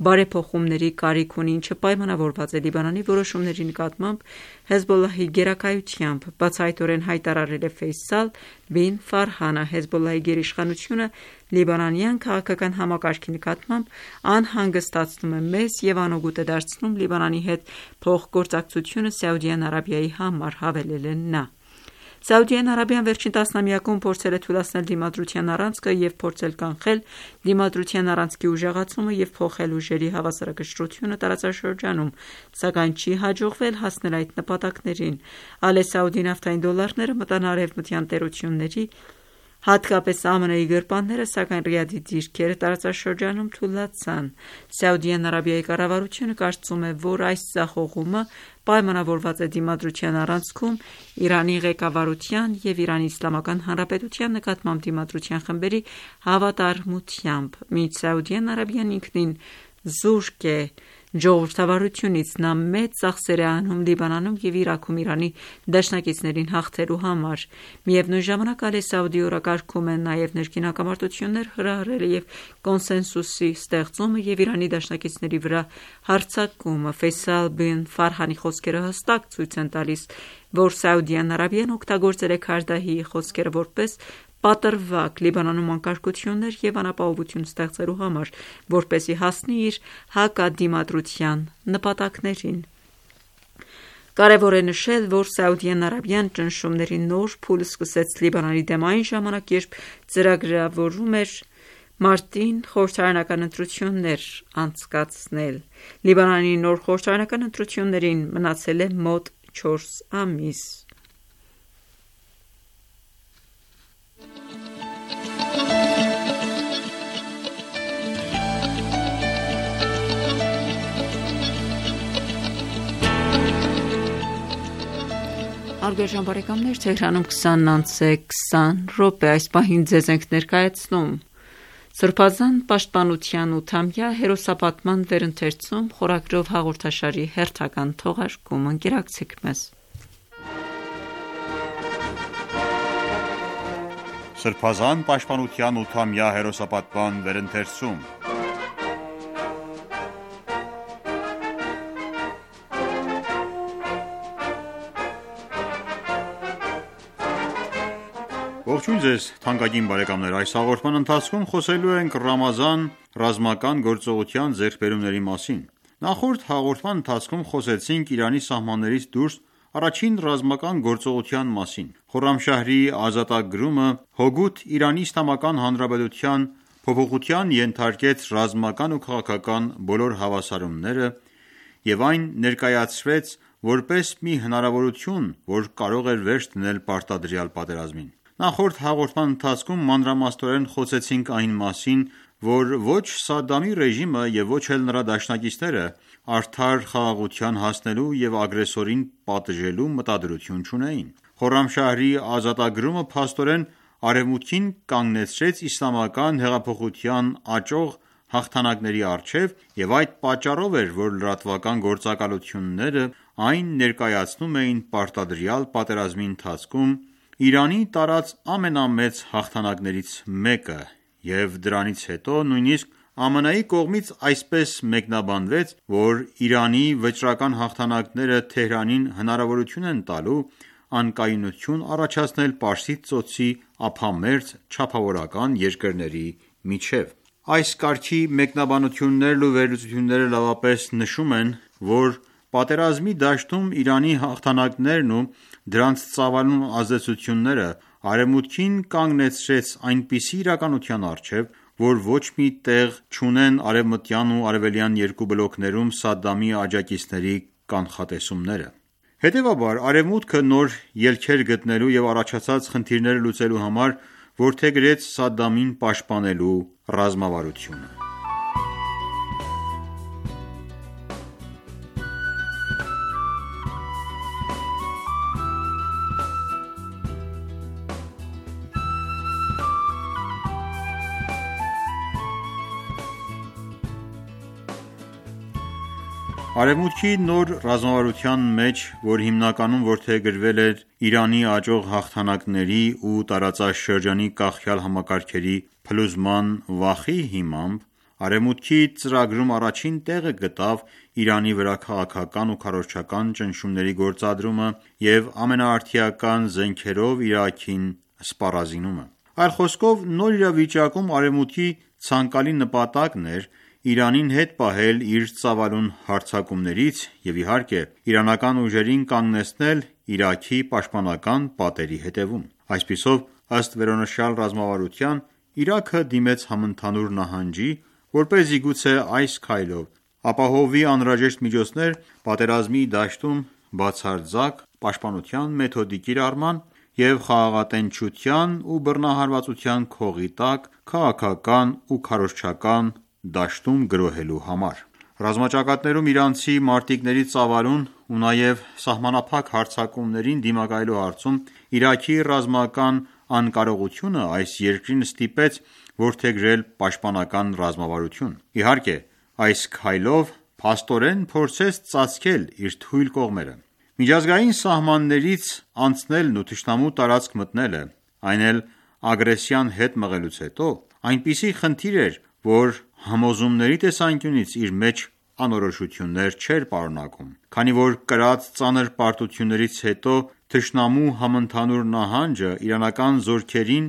բարեփոխումների կարիք ունի, ինչը պայմանավորված է Լիբանանի որոշումների նկատմամբ Հեզբոլլահի գերակայությամբ, բացահայտորեն հայտարարել է Ֆեյսալ բին Ֆարհանը։ Հեզբոլլահի գերիշխանությունը լիբանանյան քաղաքական համակարգի նկատմամբ անհանգստացնում է մեզ և անօգուտ է դարձնում Լիբանանի հետ փոխգործակցությունը Սաուդյան Արաբիայի համար, հավելել է նա։ Սաուդյան Արաբիան վերջին տասնամյակում փորձել է թուլացնել դիմադրության առանցքը և փորձել կանխել դիմադրության առանցքի ուժեղացումը և փոխել ուժերի հավասարակշռությունը տարածաշրջանում, սակայն չի հաջողվել հասնել այդ նպատակներին։ Ալե Սաուդի նավթային դոլարները մտան արևմտյան տերությունների, հատկապես ԱՄՆ-ի գրպանները, սակայն Ռիադի դիրքերը տարածաշրջանում թուլացան։ Սաուդյան Արաբիայի կառավարությունը կարծում է, որ այս ձախողումը պայմանավորված է դիմադրության առանցքում Իրանի ղեկավարության և Իրանի Իսլամական Հանրապետության նկատմամբ դիմադրության խմբերի հավատարմությամբ։ Մինչ Սաուդյան Արաբիան ինքնին զուրկ է ժողովրդավարությունից, նա մեծ ծախսեր է անում Լիբանանում և Իրաքում Իրանի դաշնակիցներին հաղթելու համար։ Միևնույն ժամանակ Ալե Սաուդի օրակարգում է նաև ներքին հակամարտություններ հրահրելը և կոնսենսուսի ստեղծումը և Իրանի դաշնակիցների վրա հարձակումը։ Ֆեյսալ բին Ֆարհանի խոսքերը հստակ ցույց են տալիս, որ Սաուդյան Արաբիան օգտագործել է Քարդահիի խոսքերը որպես պատրվակ Լիբանանում անկարգություններ և անապահովություն ստեղծելու համար, որպեսզի հասնի իր հակադիմադրության նպատակներին։ Կարևոր է նշել, որ Սաուդյան Արաբիան ճնշումների նոր փուլ սկսեց Լիբանանի դեմ այն ժամանակ, երբ ծրագրավորում էր մարտին խորհրդարանական ընտրություններ անցկացնել։ Լիբանանի նոր խորհրդարանական ընտրություններին մնացել է մոտ 4 ամիս։ Հարգարժան բարեկամներ, Թեհրանում 20:20 այս պահին ձեզ ենք ներկայացնում Սրբազան պաշտպանության 8-ամյա հերոսապատման վերընթերցում խորագրով հաղորդաշարի հերթական թողարկում։ Ընկերակցեք մեզ։ Սրբազան պաշտպանության 8-ամյա հերոսապատման վերընթերցում Ողջույն ձեզ թանկագին բարեկամներ, այս հաղորդման ընթացքում խոսելու ենք Ռամազան ռազմական գործողության ձեռքբերումների մասին։ Նախորդ հաղորդման ընթացքում խոսեցինք Իրանի սահմաններից դուրս առաջին ռազմական գործողության մասին։ Խորրամշահրի ազատագրումը հօգուտ Իրանի Իսլամական Հանրապետության փոփոխության ենթարկեց ռազմական ու քաղաքական բոլոր հավասարումները և այն ներկայացվեց որպես մի հնարավորություն, որ կարող էր վերջ դնել պարտադրյալ պատերազմին։ Նախորդ հաղորդման ընթացքում մանրամասնորեն խոսեցինք այն մասին, որ ոչ Սադամի ռեժիմը և ոչ էլ նրա դաշնակիցները արդար խաղաղության հասնելու և ագրեսորին պատժելու մտադրություն չունեին։ Խորրամշահրի ազատագրումը փաստորեն Արևմուտքին կանգնեցրեց իսլամական հեղափոխության աճող հաղթանակների առջև և այդ պատճառով էր, որ լրատվական գործակալությունները այն ներկայացնում էին պարտադրյալ պատերազմի ընթացքում Իրանի տարած ամենամեծ հաղթանակներից մեկը և դրանից հետո նույնիսկ ԱՄՆ-ի կողմից այսպես մեկնաբանվեց, որ Իրանի վճռական հաղթանակները Թեհրանին հնարավորություն են տալու անկայունություն առաջացնել Պարսից ծոցի ափամերձ չափավորական երկրների միջև։ Այս կարգի մեկնաբանություններն ու վերլուծությունները լավապես նշում են, որ պատերազմի դաշտում Իրանի հաղթանակներն ու դրանց ծավալուն ազդեցությունները Արևմուտքին կանգնեցրեց այնպիսի իրականության առջև, որ ոչ մի տեղ չունեն արևմտյան ու արևելյան երկու բլոկներում Սադամի աջակիցների կանխատեսումները։ Հետևաբար, Արևմուտքը նոր ելքեր գտնելու և առաջացած խնդիրները լուծելու համար որդեգրեց Սադամին պաշտպանելու ռազմավարությունը։ Արևմուտքի նոր ռազմավարության մեջ, որ հիմնականում որդեգրվել էր Իրանի աճող հաղթանակների ու տարածաշրջանի կախյալ համակարգերի փլուզման վախի հիմամբ, Արևմուտքի ծրագրում առաջին տեղը գտավ Իրանի վրա քաղաքական ու քարոզչական ճնշումների գործադրումը և ամենաարդիական զենքերով Իրաքին սպառազինումը: Այլ խոսքով, նոր իրավիճակում Արևմուտքի ցանկալի նպատակն էր Իրանին հետ պահել իր ծավալուն հարձակումներից և իհարկե իրանական ուժերին կանգնեցնել Իրաքի պաշտպանական պատերի հետևում: Այսպիսով, ըստ վերոնշյալ ռազմավարության, Իրաքը դիմեց համընդհանուր նահանջի, որպեսզի գուցե այս քայլով ապահովի անհրաժեշտ միջոցներ պատերազմի դաշտում բացարձակ պաշտպանության մեթոդի կիրառման և խաղաղատենչության ու բռնահարվածության քողի տակ քաղաքական ու քարոզչական դաշտում գրոհելու համար: Ռազմաճակատներում իրանցի մարտիկների ծավալուն ու նաև սահմանափակ հարձակումներին դիմակայելու հարցում Իրաքի ռազմական անկարողությունը այս երկրին ստիպեց որդեգրել պաշտպանական ռազմավարություն: Իհարկե, այս քայլով փաստորեն փորձեց ծածկել իր թույլ կողմերը: Միջազգային սահմաններից անցնելն ու թշնամու տարածք մտնելը, այն էլ ագրեսիան հետ մղելուց հետո, այնպիսի խնդիր էր, որ համոզումների տեսանկյունից իր մեջ անորոշություններ չէր պարունակում: Քանի որ կրած ծանր պարտություններից հետո թշնամու համընդհանուր նահանջը իրանական զորքերին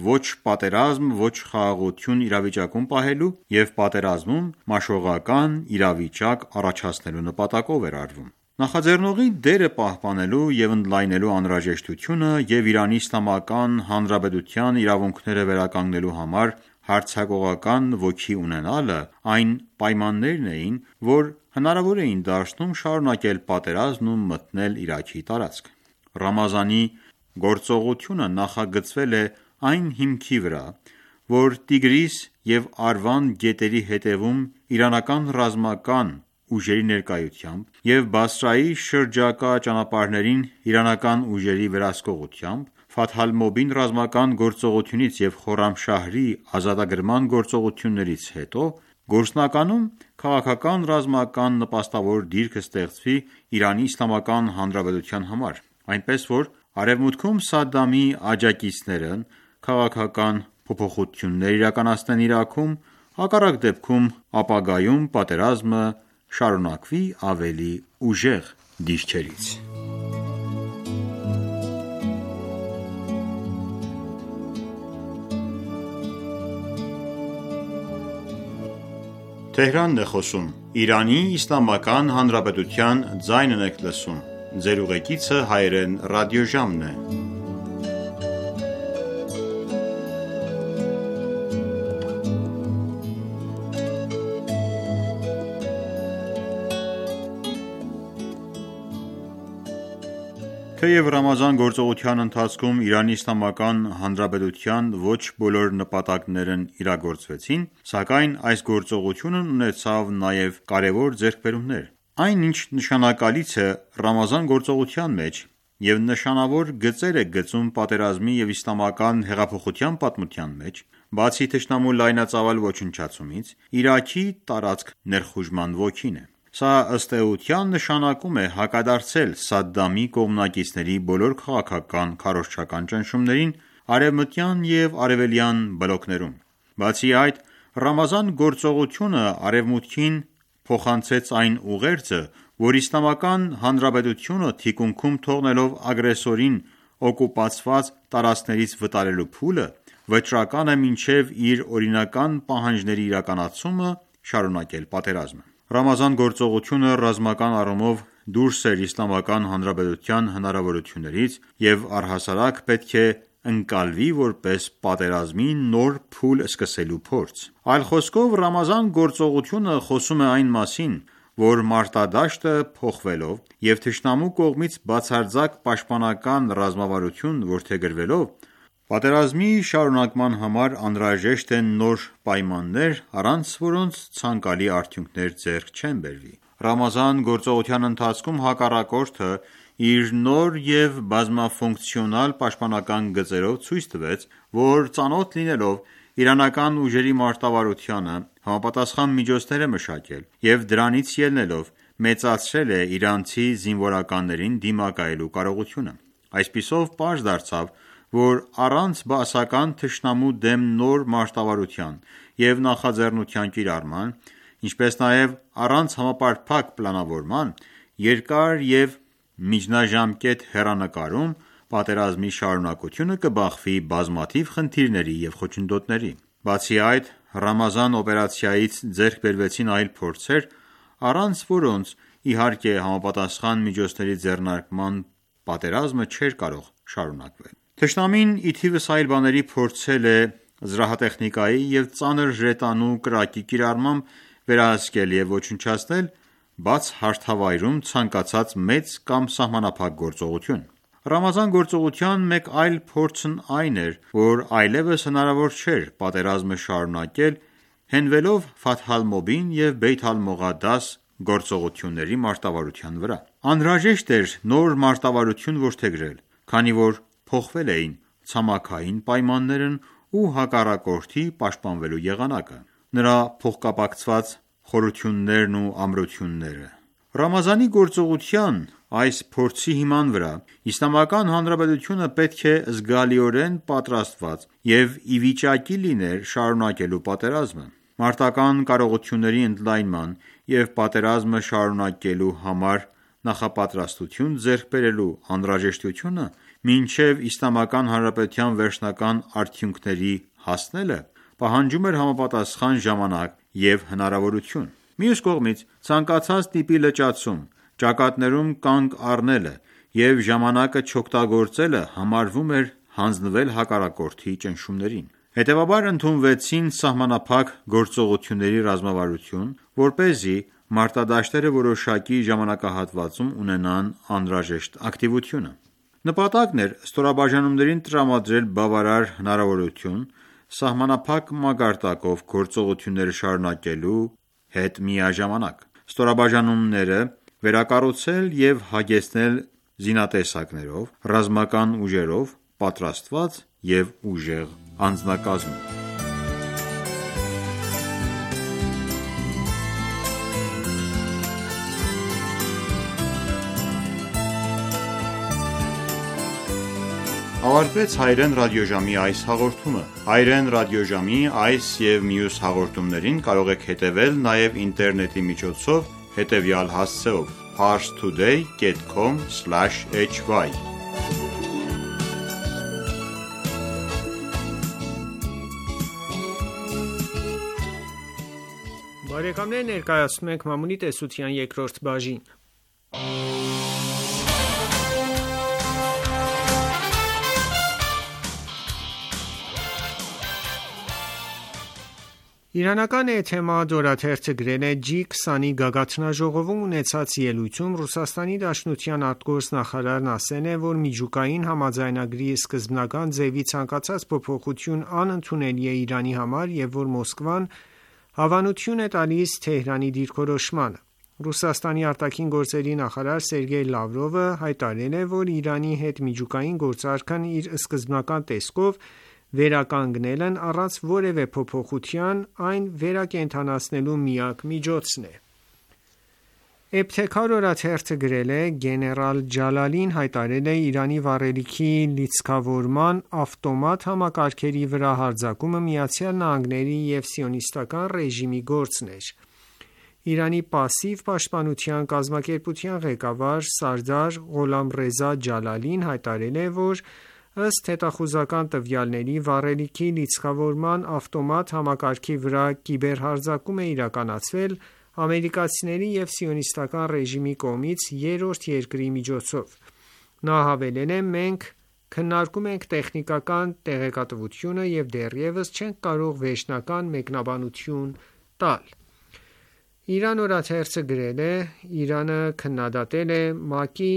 ոչ պատերազմ, ոչ խաղաղություն իրավիճակում պահելու և պատերազմում մաշողական իրավիճակ առաջացնելու նպատակով էր արվում: Նախաձեռնողի դերը պահպանելու և ընդլայնելու անհրաժեշտությունը և Իրանի Իսլամական Հանրապետության իրավունքները վերականգնելու համար հարձակողական ոգի ունենալը այն պայմաններն էին, որ հնարավոր էին դարձնում շարունակել պատերազմն ու մտնել Իրաքի տարածք: Ռամազանի գործողությունը նախագծվել է այն հիմքի վրա, որ Տիգրիս և Արվանդ գետերի հետևում իրանական ռազմական ուժերի ներկայությամբ և Բասրայի շրջակա ճանապարհներին իրանական ուժերի վերահսկողությամբ, Ֆաթհ Ալ-Մոբին ռազմական գործողությունից և Խորրամշահրի ազատագրման գործողություններից հետո, գործնականում քաղաքական-ռազմական նպաստավոր դիրք ստեղծվի Իրանի Իսլամական Հանրապետության համար, այնպես որ Արևմուտքում Սադամի աջակիցներն քաղաքական փոփոխություններ իրականացնեն Իրաքում, հակառակ դեպքում ապագայում պատերազմը շարունակվի ավելի ուժեղ դիրքերից: Թեև Ռամազան գործողության ընթացքում Իրանի Իսլամական Հանրապետության ոչ բոլոր նպատակներն իրագործվեցին, սակայն այս գործողությունն ունեցավ նաև կարևոր ձեռքբերումներ: Այն ինչ նշանակալից է Ռամազան գործողության մեջ և նշանավոր գծեր է գծում պատերազմի և իսլամական հեղափոխության պատմության մեջ, բացի թշնամու լայնածավալ ոչնչացումից, Իրաքի տարածք ներխուժման ոգին է: Սա ըստ էության նշանակում է հակադարձել Սադամի կողմնակիցների բոլոր քաղաքական, քարոզչական ճնշումներին արևմտյան և արևելյան բլոկներում: Բացի այդ, Ռամազան գործողությունը Արևմուտքին փոխանցեց այն ուղերձը, որ Իսլամական Հանրապետությունը թիկունքում թողնելով ագրեսորին օկուպացված տարածքներից վտարելու փուլը, վճռական է մինչև իր օրինական պահանջների իրականացումը շարունակել պատերազմը: Ռամազան գործողությունը ռազմական առումով դուրս էր Իսլամական Հանրապետության հնարավորություններից և առհասարակ պետք է ընկալվի որպես պատերազմի նոր փուլ սկսելու փորձ: Այլ խոսքով, Ռամազան գործողությունը խոսում է այն մասին, որ մարտադաշտը փոխվելով և թշնամու կողմից բացարձակ պաշտպանական ռազմավարություն որդեգրվելով, պատերազմի շարունակման համար անհրաժեշտ են նոր պայմաններ, առանց որոնց ցանկալի արդյունքներ ձեռք չեն բերվի: Ռամազան գործողության ընթացքում հակառակորդը իր նոր և բազմաֆունկցիոնալ պաշտպանական գծերով ցույց տվեց, որ ծանոթ լինելով իրանական ուժերի մարտավարությանը, համապատասխան միջոցներ է մշակել և դրանից ելնելով, մեծացրել է իրանցի զինվորականներին դիմակայելու կարողությունը։ Այսպիսով պարզ դարձավ, որ առանց բաասական թշնամու դեմ նոր մարտավարության և նախաձեռնության կիրառման, ինչպես նաև առանց համապարփակ պլանավորման, երկար և միջնաժամկետ հեռանկարում պատերազմի շարունակությունը կբախվի բազմաթիվ խնդիրների և խոչընդոտների։ Բացի այդ, Ռամազան օպերացիայից ձեռք բերվեցին այլ փորձեր, առանց որոնց, իհարկե, համապատասխան միջոցների ձեռնարկման պատերազմը չէր կարող շարունակվել։ Թշնամին ի թիվս այլ բաների փորձել է զրահատեխնիկայի և ծանր ժետանու կրակի կիրառմամբ վերահսկել և ոչնչացնել բացհարթավայրում ցանկացած մեծ կամ սահմանափակ գործողություն։ Ռամազան գործողության մեկ այլ փորձն այն էր, որ այլևս հնարավոր չէր պատերազմը շարունակել հենվելով Ֆաթհ al-Մուբին և Բեյթ al-Մողադաս գործողությունների մարտավարության վրա։ Անհրաժեշտ էր նոր մարտավարություն որդեգրել, քանի որ փոխվել էին ցամաքային պայմաններն ու հակառակորդի պաշտպանվելու եղանակը, նրա փոխկապակցված խորություններն ու ամրությունները։ Ռամազանի գործողության այս փորձի հիման վրա Իսլամական Հանրապետությունը պետք է զգալիորեն պատրաստված և ի վիճակի լիներ շարունակելու պատերազմը։ Մարտական կարողությունների ընդլայնման և պատերազմը շարունակելու համար նախապատրաստություն ձեռք բերելու անհրաժեշտությունը մինչև Իսլամական Հանրապետության վերջնական արդյունքների հասնելը պահանջում էր համապատասխան ժամանակ և հնարավորություն։ Մյուս կողմից, ցանկացած տիպի լճացում, ճակատներում կանգ առնելը և ժամանակը չօգտագործելը համարվում էր հանձնվել հակառակորդի ճնշումներին։ Հետևաբար ընդունվեցին սահմանափակ գործողությունների ռազմավարություն, որպեսզի մարտադաշտերը որոշակի ժամանակահատվածում ունենան անհրաժեշտ ակտիվությունը։ Նպատակն էր ստորաբաժանումներին տրամադրել բավարար հնարավորություն սահմանափակ մակարդակով գործողությունները շարունակելու հետ միաժամանակ, ստորաբաժանումները վերակառուցել և հագեցնել զինատեսակներով, ռազմական ուժերով պատրաստված և ուժեղ անձնակազմով։ Ավարտվեց հայրեն ռադիոժամի այս հաղորդումը։ Հայրեն ռադիոժամի այս և մյուս հաղորդումներին կարող եք հետևել նաև ինտերնետի միջոցով հետևյալ հասցեով՝ parstoday.com/hy Բարեկամներ, ներկայացնում ենք Մամունի տեսության երկրորդ բաժին։ Իրանական Էթեմադ օրաթերթը գրել է G20-ի գագաթնաժողովում ունեցած ելույթում Ռուսաստանի Դաշնության արտգործնախարարն ասել է, որ միջուկային համաձայնագրի սկզբնական ձևի ցանկացած փոփոխություն անընդունելի է Իրանի համար և որ Մոսկվան հավանություն է տալիս Թեհրանի դիրքորոշմանը։ Ռուսաստանի արտաքին գործերի նախարար Սերգեյ Լավրովը հայտարարել է, որ Իրանի հետ միջուկային գործարքն իր սկզբնական տեսքով վերականգնելն առանց որևէ փոփոխության այն վերակենդանացնելու միակ միջոցն է։ Էբթեքար օրաթերթը գրել է. Գեներալ Ջալալին հայտարարել է Իրանի վառելիքի լիցքավորման ավտոմատ համակարգերի վրա հարձակումը ԱՄՆ-ի և Սիոնիստական ռեժիմի գործն էր։ Իրանի պասիվ պաշտպանության կազմակերպության ղեկավար Սարդար Ղոլամռեզա Ջալալին հայտարարել է, որ ըստ հետախուզական տվյալների վառելիքի լիցքավորման ավտոմատ համակարգի վրա կիբերհարձակում է իրականացվել ամերիկացիների և Սիոնիստական ռեժիմի կողմից երրորդ երկրի միջոցով։ Նա հավելել է. «Մենք քննարկում ենք տեխնիկական տեղեկատվությունը և դեռևս չենք կարող վերջնական մեկնաբանություն տալ»։ Իրան օրաթերթը գրել է. «Իրանը քննադատել է ՄԱԿ-ի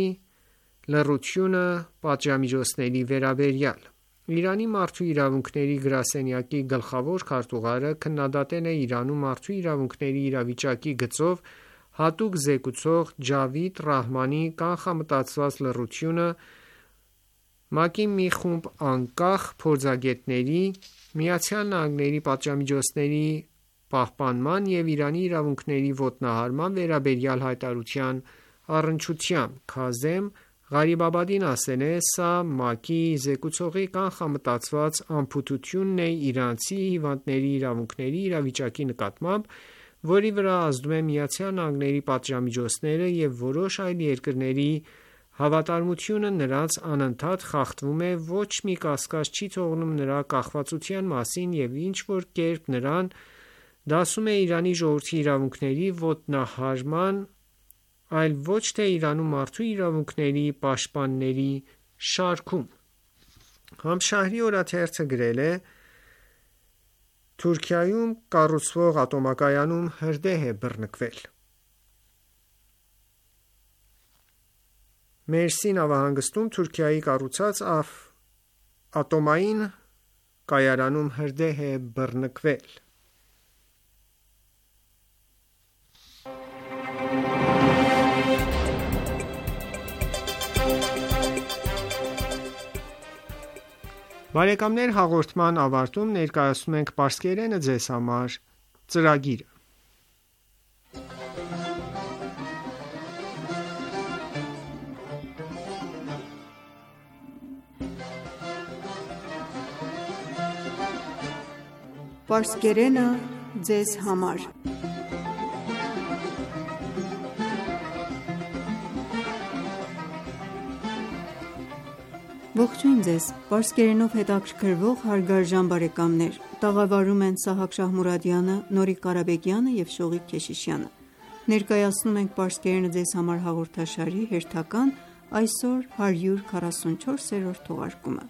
լռությունը պատժամիջոցների վերաբերյալ»։ Իրանի մարդու իրավունքների գրասենյակի գլխավոր քարտուղարը քննադատել է Իրանում մարդու իրավունքների իրավիճակի գծով հատուկ զեկուցող Ջավիդ Ռահմանի կանխամտածված լռությունը ՄԱԿ-ի մի խումբ անկախ փորձագետների ԱՄՆ-ի պատժամիջոցների պահպանման և Իրանի իրավունքների ոտնահարման վերաբերյալ հայտարարության առնչությամբ: Քազեմ Ղարիբաբադին ասել է. «Սա ՄԱԿ-ի զեկուցողի կանխամտածված անփութությունն է իրանցի հիվանդների իրավունքների իրավիճակի նկատմամբ, որի վրա ազդում են ԱՄՆ-ի պատժամիջոցները և որոշ այլ երկրների հավատարմությունը նրանց անընդհատ խախտվում է, ոչ մի կասկած չի թողնում նրա կախվածության մասին և ինչ-որ կերպ նրան դասում է Իրանի ժողովրդի իրավունքների ոտնահարման, այլ ոչ թե Իրանում մարդու իրավունքների պաշտպանների շարքում»: Համշահրի օրաթերթը գրել է. «Թուրքիայում կառուցվող ատոմակայանում հրդեհ է բռնկվել»: Մերսի նավահանգստում Թուրքիայի կառուցած ատոմային կայարանում հրդեհ է բռնկվել: Բարեկամներ, հաղորդման ավարտում ներկայացնում ենք «Պարսկերենը ձեզ համար» ծրագիրը: Պարսկերենը ձեզ համար Ողջույն ձեզ: Պարսկերենով հետաքրքրվող հարգարժան բարեկամներ, տաղավարում են Սահակ Շահմուրադյանը, Նորիկ Ղարաբեկյանը և Շողիկ Քեշիշյանը: Ներկայացնում ենք «Պարսկերենը ձեզ համար» հաղորդաշարի հերթական, այսօր 144-րդ թողարկումը: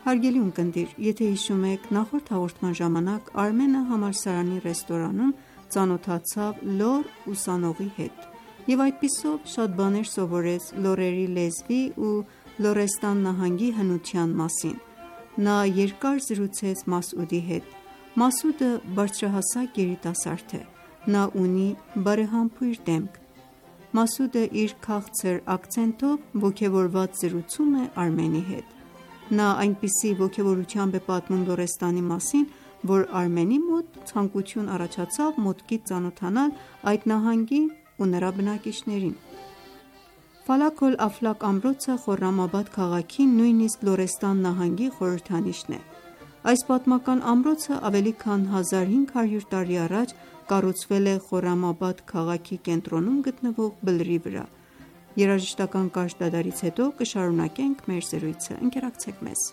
Հարգելի ունկնդիր, եթե հիշում եք, նախորդ հաղորդման ժամանակ Արմենը համալսարանի ռեստորանում ծանոթացավ լոռ ուսանողի հետ և այդպիսով շատ բաներ սովորեց լոռերի լեզվի ու Լոռեստան նահանգի հնության մասին: Նա երկար զրուցեց Մասուդի հետ: Մասուդը բարձրահասակ երիտասարդ է: Նա ունի բարեհամբույր դեմք: Մասուդը իր քաղցր ակցենտով ոգևորված զրուցում է Արմենի հետ: Նա այնպիսի ոգևորությամբ է պատմում Լոռեստանի մասին, որ Արմենի մոտ ցանկություն առաջացավ մոտիկից ծանոթանալ այդ նահանգին ու նրա բնակիչներին: Ֆալակ ալ-Աֆլակ ամրոցը Խորրամաբադ քաղաքի նույնիսկ Լոռեստան նահանգի խորհրդանիշն է: Այս պատմական ամրոցը ավելի քան 1500 տարի առաջ կառուցվել է Խորրամաբադ քաղաքի կենտրոնում գտնվող բլրի վրա: Երաժշտական կարճ դադարից հետո կշարունակենք մեր զրույցը: Ընկերակցեք մեզ: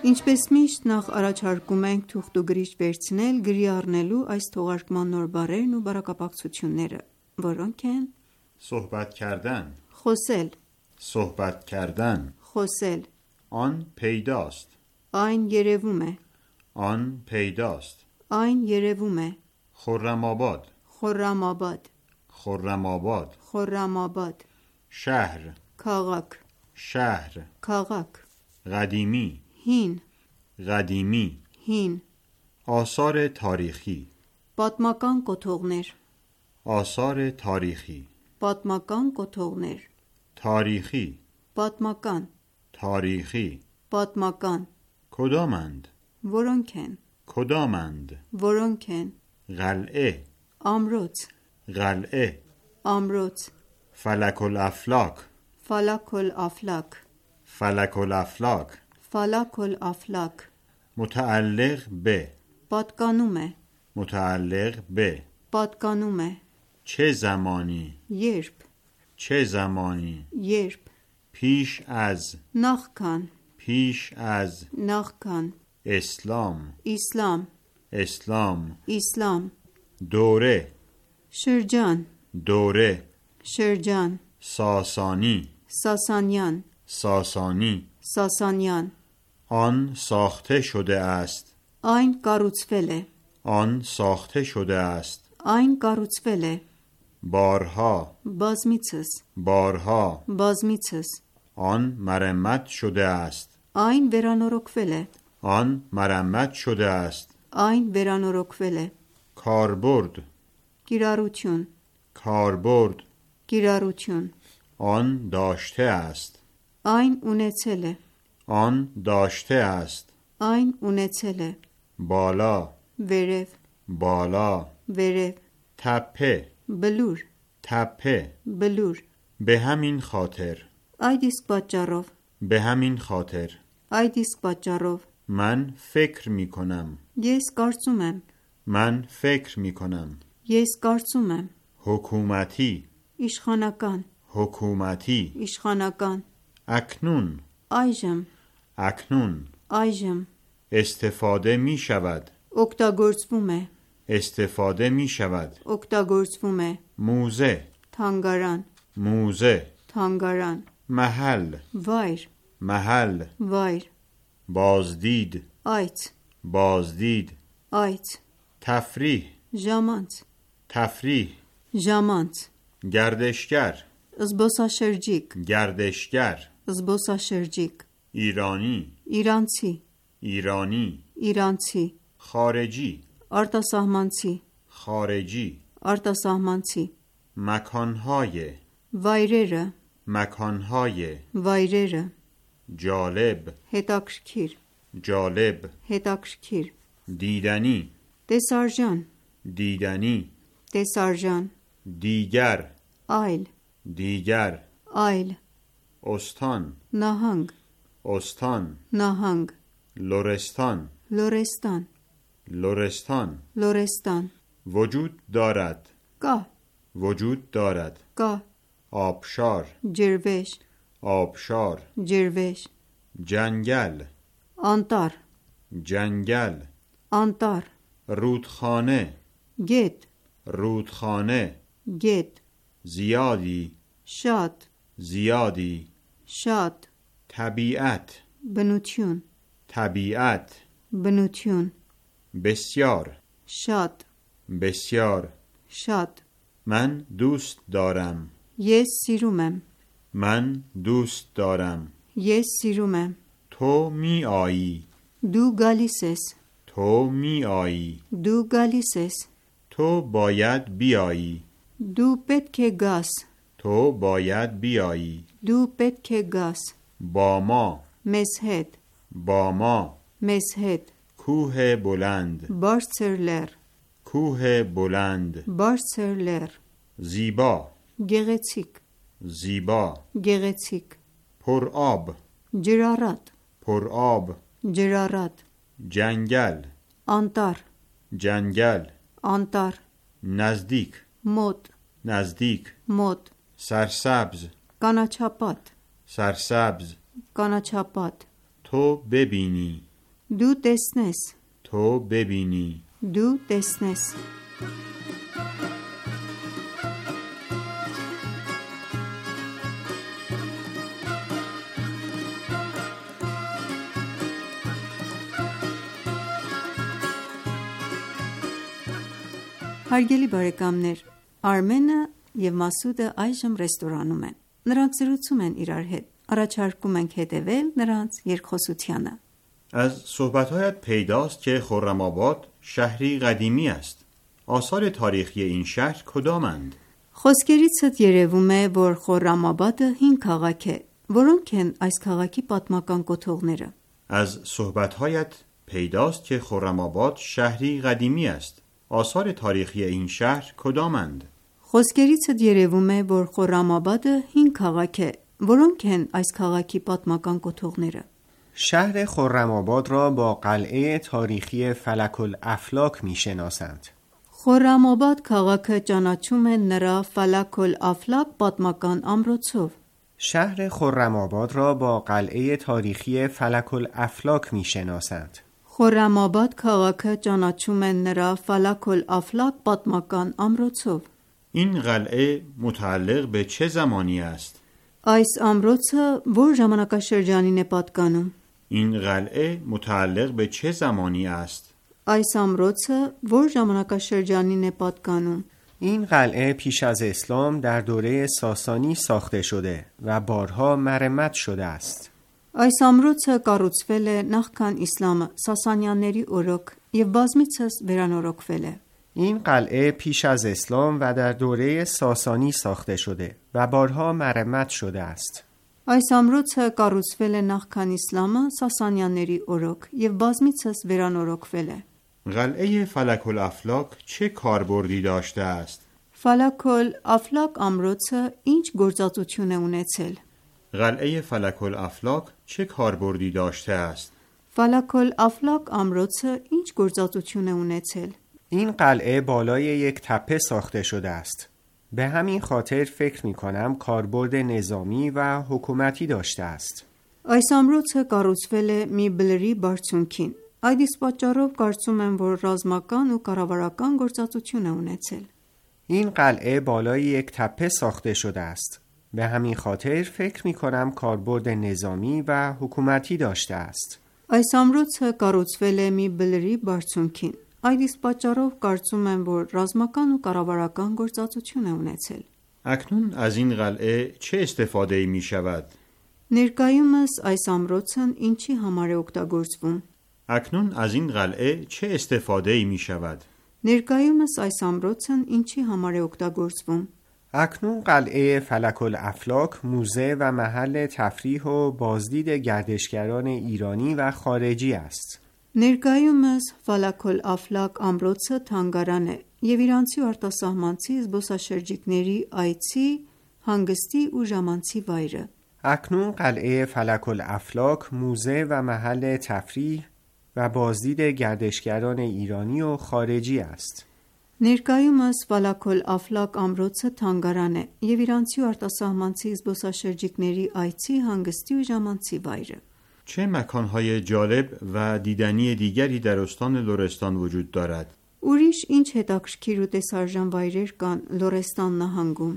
Ինչպես միշտ նախ առաջարկում ենք թուղթ ու գրիչ վերցնել գրի առնելու այս թողարկման նոր բառերն ու բառակապակցությունները, որոնք են صحبت کردن խոսել, صحبت کردن խոսել, آن پیداست այն երևում է, آن پیداست այն երևում է, خرم‌آباد Խորրամաբադ, خرم‌آباد Խորրամաբադ, شهر քաղաք, شهر քաղաք, قدیمی հին, قدیمی հին, آثار تاریخی պատմական կոթողներ, آثار تاریخی պատմական կոթողներ, تاریخی պատմական, تاریخی պատմական, کدامند որոնք են, کدامند որոնք են, قلعه ամրոց, قلعه ամրոց, فلک الافلاک Ֆալակ ալ-Աֆլակ, فلک الافلاک Ֆալակ ալ-Աֆլակ, متعلق به պատկանում է, متعلق به պատկանում է, چه زمانی երբ, چه زمانی երբ, پیش از նախքան, پیش از նախքան, اسلام իսլամ, اسلام իսլամ, دوره շրջան, دوره շրջան, ساسانی Սասանյան, ساسانی Սասանյան, آن ساخته شده است այն կառուցվել է, آن ساخته شده است այն կառուցվել է, بارها բազմիցս, بارها բազմիցս, آن مرمت شده است այն վերանորոգվել է, آن مرمت شده است այն վերանորոգվել է, کاربرد կիրառություն, کاربرد կիրառություն آن داشته است. Այն ունեցել է آن داشته است. Այն ունեցել է بالا Վերև بالا Վերև تپه Բլուր تپه Բլուր به همین خاطر Այդ իսկ պատճառով به همین خاطر Այդ իսկ պատճառով من فکر می کنم. Ես կարծում եմ من فکر می کنم. Ես կարծում եմ حکومتی Իշխանական حکومتی Իշխանական اکنون Այժմ اکنون Այժմ استفاده می شود. Օգտագործվում է استفاده می شود. Օգտագործվում է موزه Թանգարան موزه Թանգարան محل Վայր محل Վայր بازدید Այց بازدید Այց تفریح Ժամանց تفریح Ժամանց گردشگر Զբոսաշրջիկ گردشگر Զբոսաշրջիկ ایرانی Իրանցի ایرانی Իրանցի خارجی Արտասահմանցի خارجی Արտասահմանցի مکانهای Վայրերը مکانهای Վայրերը جالب Հետաքրքիր جالب Հետաքրքիր دیدنی Տեսարժան دیدنی Տեսարժան دیگر Այլ دیگر Այլ استان Նահանգ استان Նահանգ لرستان Լորեստան لرستان Լորեստան وجود دارد Կա وجود دارد Կա آبشار Ջրվեժ آبشار Ջրվեժ جنگل Անտառ جنگل Անտառ رودخانه Գետ رودخانه Գետ زیادی Շատ زیادی Շատ طبیعت Բնություն طبیعت Բնություն بسیار Շատ بسیار Շատ من دوست دارم Ես սիրում եմ من دوست دارم Ես սիրում եմ تو می آیی Դու գալիս ես تو می آیی Դու գալիս ես تو باید بیایی Դու պետք է գաս تو باید بیایی Դու պետք է գաս با ما Մեզ հետ با ما Մեզ հետ کوه بلند Բարձր լեռ کوه بلند Բարձր լեռ زیبا Գեղեցիկ زیبا Գեղեցիկ پر آب Ջրառատ پر آب Ջրառատ جنگل Անտառ جنگل Անտառ نزدیک Մոտ نزدیک Մոտ سرسبز Կանաչապատ سرسبز Կանաչապատ تو ببینی Դու տեսնես تو ببینی Դու տեսնես Հարգելի բարեկամներ, Արմենը եւ Մասուդը այժմ ռեստորանում են։ Նրանք զրուցում են իրար հետ։ Առաջարկում ենք հետևել նրանց երկխոսությանը։ از صحبت‌هایت پیداست که خرم‌آباد شهری قدیمی است. آثار تاریخی این شهر کدامند؟ Խոսքերիցդ երևում է, որ Խորրամաբադը հին քաղաք է, որոնք են այս քաղաքի պատմական կոթողները։ از صحبت‌هایت پیداست که خرم‌آباد شهری قدیمی است. آثار تاریخی این شهر کدامند؟ Խոսքերիցդ երևում է, որ Խորրամաբադը հին քաղաք է, որոնք են այս քաղաքի պատմական կոթողները։ شهر خرم‌آباد را با قلعه تاریخی فلک الافلاک می‌شناسند. Խորրամաբադ քաղաքը ճանաչում են նրա Ֆալակ ալ-Աֆլակ պատմական ամրոցով։ شهر خرم‌آباد را با قلعه تاریخی فلک الافلاک می‌شناسند. Խորրամաբադ քաղաքը ճանաչում են նրա Ֆալակ ալ-Աֆլակ պատմական ամրոցով։ این قلعه متعلق به چه زمانی است؟ Այս ամրոցը որ ժամանակաշրջանին է պատկանում։ این قلعه متعلق به چه زمانی است؟ Այս ամրոցը որ ժամանակաշրջանին է պատկանում։ این قلعه پیش از اسلام در دوره ساسانی ساخته شده و بارها مرمت شده است. Այս ամրոցը կառուցվել է նախքան իսլամը Սասանյանների օրոք եւ բազմիցս վերանորոգվել է։ این قلعه پیش از اسلام و در دوره ساسانی ساخته شده و بارها مرمت شده است. Այս ամրոցը կառուցվել է նախքան իսլամը Սասանյանների օրոք եւ բազմիցս վերանորոգվել է։ قلعه فلک الافلاک چه کاربردی داشته است؟ Ֆալակոլ Աֆլակ ամրոցը ինչ գործածություն է ունեցել։ قلعه فلک الافلاک چه کاربردی داشته است؟ Ֆալակոլ Աֆլակ ամրոցը ինչ գործածություն է ունեցել։ این قلعه بالای یک تپه ساخته شده است. به همین خاطر فکر می کنم کاربرد نظامی و حکومتی داشته است. Այս ամրոցը կառուցվել է մի բլրի բարձունքին։ Այդ իսկ պատճառով կարծում եմ, որ ռազմական ու կառավարական գործածություն է ունեցել։ این قلعه بالای یک تپه ساخته شده است. به همین خاطر فکر می کنم کاربرد نظامی و حکومتی داشته است. Այս ամրոցը կառուցվել է մի բլրի բարձունքին։ Այդ իսկ պատճառով կարծում եմ, որ ռազմական ու կառավարական գործածություն է ունեցել։ اکنون از این قلعه چه استفاده می شود؟ Ներկայումս այս ամրոցն ինչի համար է օգտագործվում։ اکنون از این قلعه چه استفاده می شود؟ Ներկայումս այս ամրոցն ինչի համար է օգտագործվում։ اکنون قلعه فلک الافلاک موزه و محل تفریح و بازدید گردشگران ایرانی و خارجی است. Ներկայումս Ֆալակոլ Աֆլակ ամրոցը թանգարան է եւ իրանցի ու արտասահմանցի զբոսաշրջիկների այցի, հանգստի ու ժամանցի վայրը։ اکنون قلعه فلک الافلاک موزه و محل تفریح و بازدید گردشگران ایرانی و خارجی است. Ներկայումս Ֆալակոլ Աֆլակ ամրոցը թանգարան է եւ իրանցի ու արտասահմանցի զբոսաշրջիկների այցի, հանգստի ու ժամանցի վայրը։ چه مکانهای جالب و دیدنی دیگری در استان لرستان وجود دارد؟ Ուրիշ ինչ հետաքրքիր ու տեսարժան վայրեր կան Լորեստան նահանգում։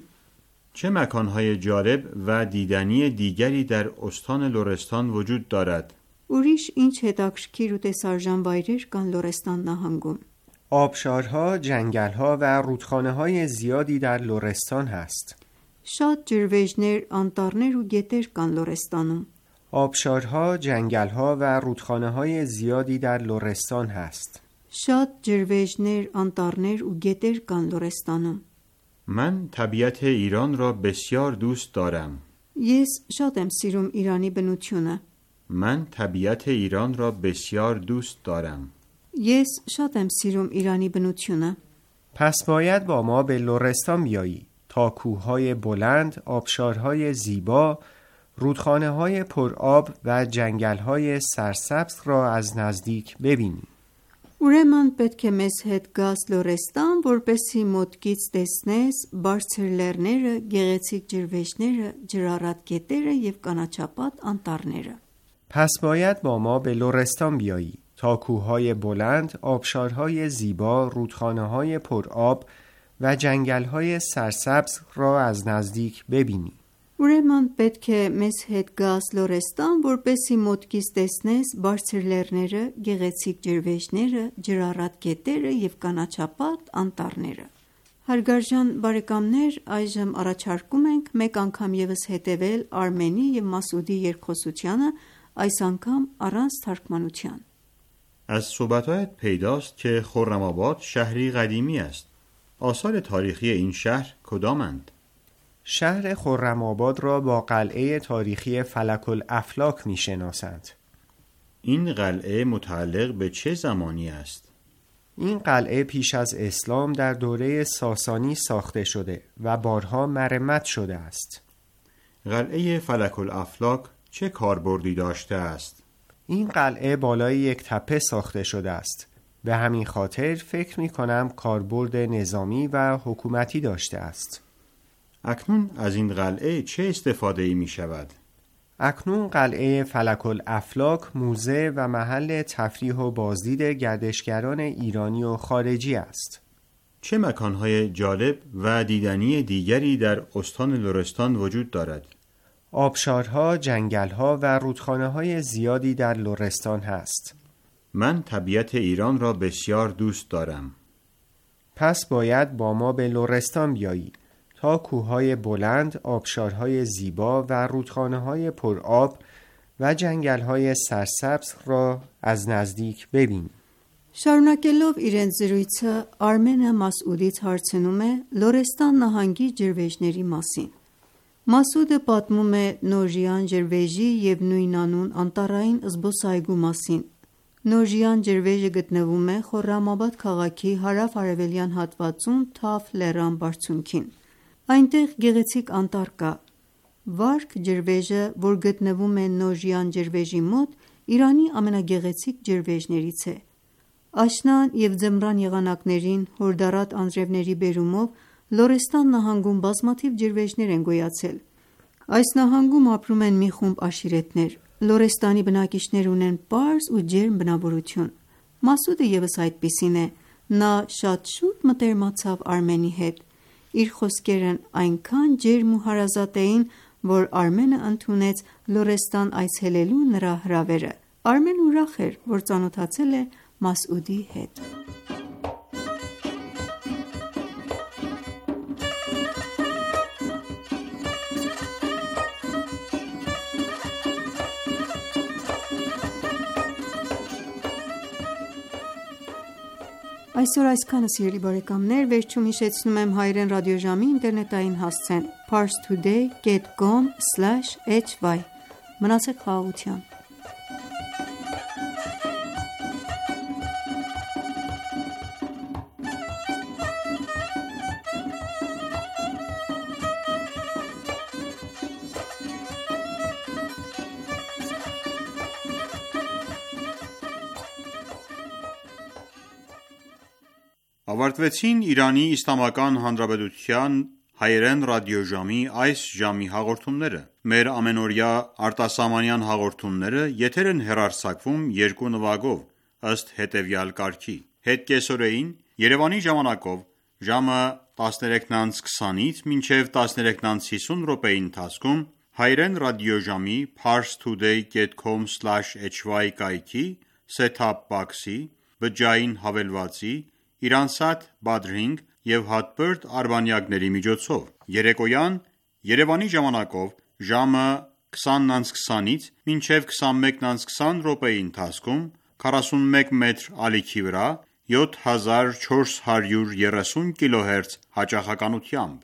چه مکانهای جالب و دیدنی دیگری در استان لرستان وجود دارد؟ Ուրիշ ինչ հետաքրքիր ու տեսարժան վայրեր կան Լորեստան նահանգում։ آبشارها، جنگلها و رودخانه‌های زیادی در لرستان هست. Շատ ջրվեժներ, անտառներ ու գետեր կան Լորեստանում։ آبشارها، جنگلها و رودخانه‌های زیادی در لرستان هست. Շատ ջրվեժներ, անտառներ ու գետեր կան Լորեստանում։ من طبیعت ایران را بسیار دوست دارم. Ես շատ եմ սիրում Իրանի բնությունը։ من طبیعت ایران را بسیار دوست دارم. Ես շատ եմ սիրում Իրանի բնությունը։ پس باید با ما به لرستان بیایی تا کوههای بلند، آبشارهای زیبا، رودخانه‌های پرآب و جنگل‌های سرسبز را از نزدیک ببینی. Ուրեմն պետք է մեզ հետ գաս Լորեստան, որպեսզի մոտքից տեսնես բարձր լեռները, գեղեցիկ ջրվեժները, ջրառատ գետերը եւ կանաչապատ անտառները։ پس باید با ما به لرستان بیایی تا کوههای بلند، آبشارهای زیبا، رودخانه‌های پرآب و جنگل‌های سرسبز را از نزدیک ببینی. Ուրեմն պետք է մեզ հետ գաս Լորեստան, որպեսզի մոտքից տեսնես բարձր լեռները, գեղեցիկ ջրվեժները, ջրառատ գետերը եւ կանաչապատ անտառները։ Հարգարժան բարեկամներ, այժմ առաջարկում ենք մեկ անգամ եւս հետեւել Արմենի եւ Մասուդի երկխոսությանը, այս անգամ առանց թարգմանության։ از صحبت‌هایت پیداست که خرم‌آباد شهری قدیمی است. آثار تاریخی این شهر کدامند؟ شهر خرم‌آباد را با قلعه تاریخی فلک الافلاک می‌شناسند. این قلعه متعلق به چه زمانی است؟ این قلعه پیش از اسلام در دوره ساسانی ساخته شده و بارها مرمت شده است. قلعه فلک الافلاک چه کاربردی داشته است؟ این قلعه بالای یک تپه ساخته شده است. به همین خاطر فکر می‌کنم کاربرد نظامی و حکومتی داشته است. اکنون از این قلعه چه استفاده می شود؟ اکنون قلعه فلک الافلاک موزه و محل تفریح و بازدید گردشگران ایرانی و خارجی است. چه مکانهای جالب و دیدنی دیگری در استان لرستان وجود دارد؟ آبشارها، جنگلها و رودخانه‌های زیادی در لرستان هست. من طبیعت ایران را بسیار دوست دارم. پس باید با ما به لرستان بیایی تا کوههای بلند، آبشارهای زیبا و رودخانه‌های پرآب و جنگل‌های سرسبز را از نزدیک ببینی. Շարունակելով իրենց զրույցը, Արմենը Մասուդից հարցնում է Լորեստան նահանգի ջրվեժների մասին։ Մասուդը պատմում է Նոժյան ջրվեժի և նույնանուն անտառային զբոսայգու մասին։ Նոժյան ջրվեժը գտնվում է Խորրամաբադ քաղաքի հարավ-արևելյան հատվածում Թաֆ լեռան բարձունքին։ Այնտեղ գեղեցիկ անտառ կա։ Վարք ջրվեժը, որ գտնվում է Նոժյան ջրվեժի մոտ, Իրանի ամենագեղեցիկ ջրվեժներից է։ Աշնան և ձմռան եղանակներին հորդառատ անձրևների բերումով Լորեստան նահանգում բազմաթիվ ջրվեժներ են գոյացել։ Այս նահանգում ապրում են մի խումբ աշիրետներ։ Լորեստանի բնակիչներ ունեն պարզ ու ջերմ բնավորություն։ Մասուդը ևս այդպիսին է։ Նա շատ շուտ մտերմացավ Արմենի հետ։ Իր խոսքերն այնքան ջերմ ու հարազատ էին, որ Արմենը ընդունեց Լորեստան այցելելու նրա հրավերը։ Արմենը ուրախ էր, որ ծանոթացել է Մասուդի հետ։ Այսօր այսքանը, սիրելի բարեկամներ, վերջում հիշեցնում եմ հայրեն ռադիոժամի ինտերնետային հասցեն parstoday.com/hy։ Մնացեք խաղաղությամբ։ Ավարտվեցին Իրանի Իսլամական Հանրապետության հայերեն ռադիոժամի այս ժամի հաղորդումները։ Մեր ամենօրյա արտասահմանյան հաղորդումները եթեր են հեռարձակվում երկու նվագով, ըստ հետևյալ կարգի. Հետ կեսօրեին Երևանի ժամանակով ժամը 13:20-ից մինչև 13:50 րոպեի ընթացքում հայերեն ռադիոժամի parstoday.com/hy կայքի set-top box-ի, բջջային հավելվածի, Իրանսատ Badring և հատբերդ արբանյակների միջոցով։ Երեկոյան Երևանի ժամանակով ժամը 20:20-ից մինչև 21:20 րոպեի ընթացքում 41 մետր ալիքի վրա 7430 kHz հաճախականությամբ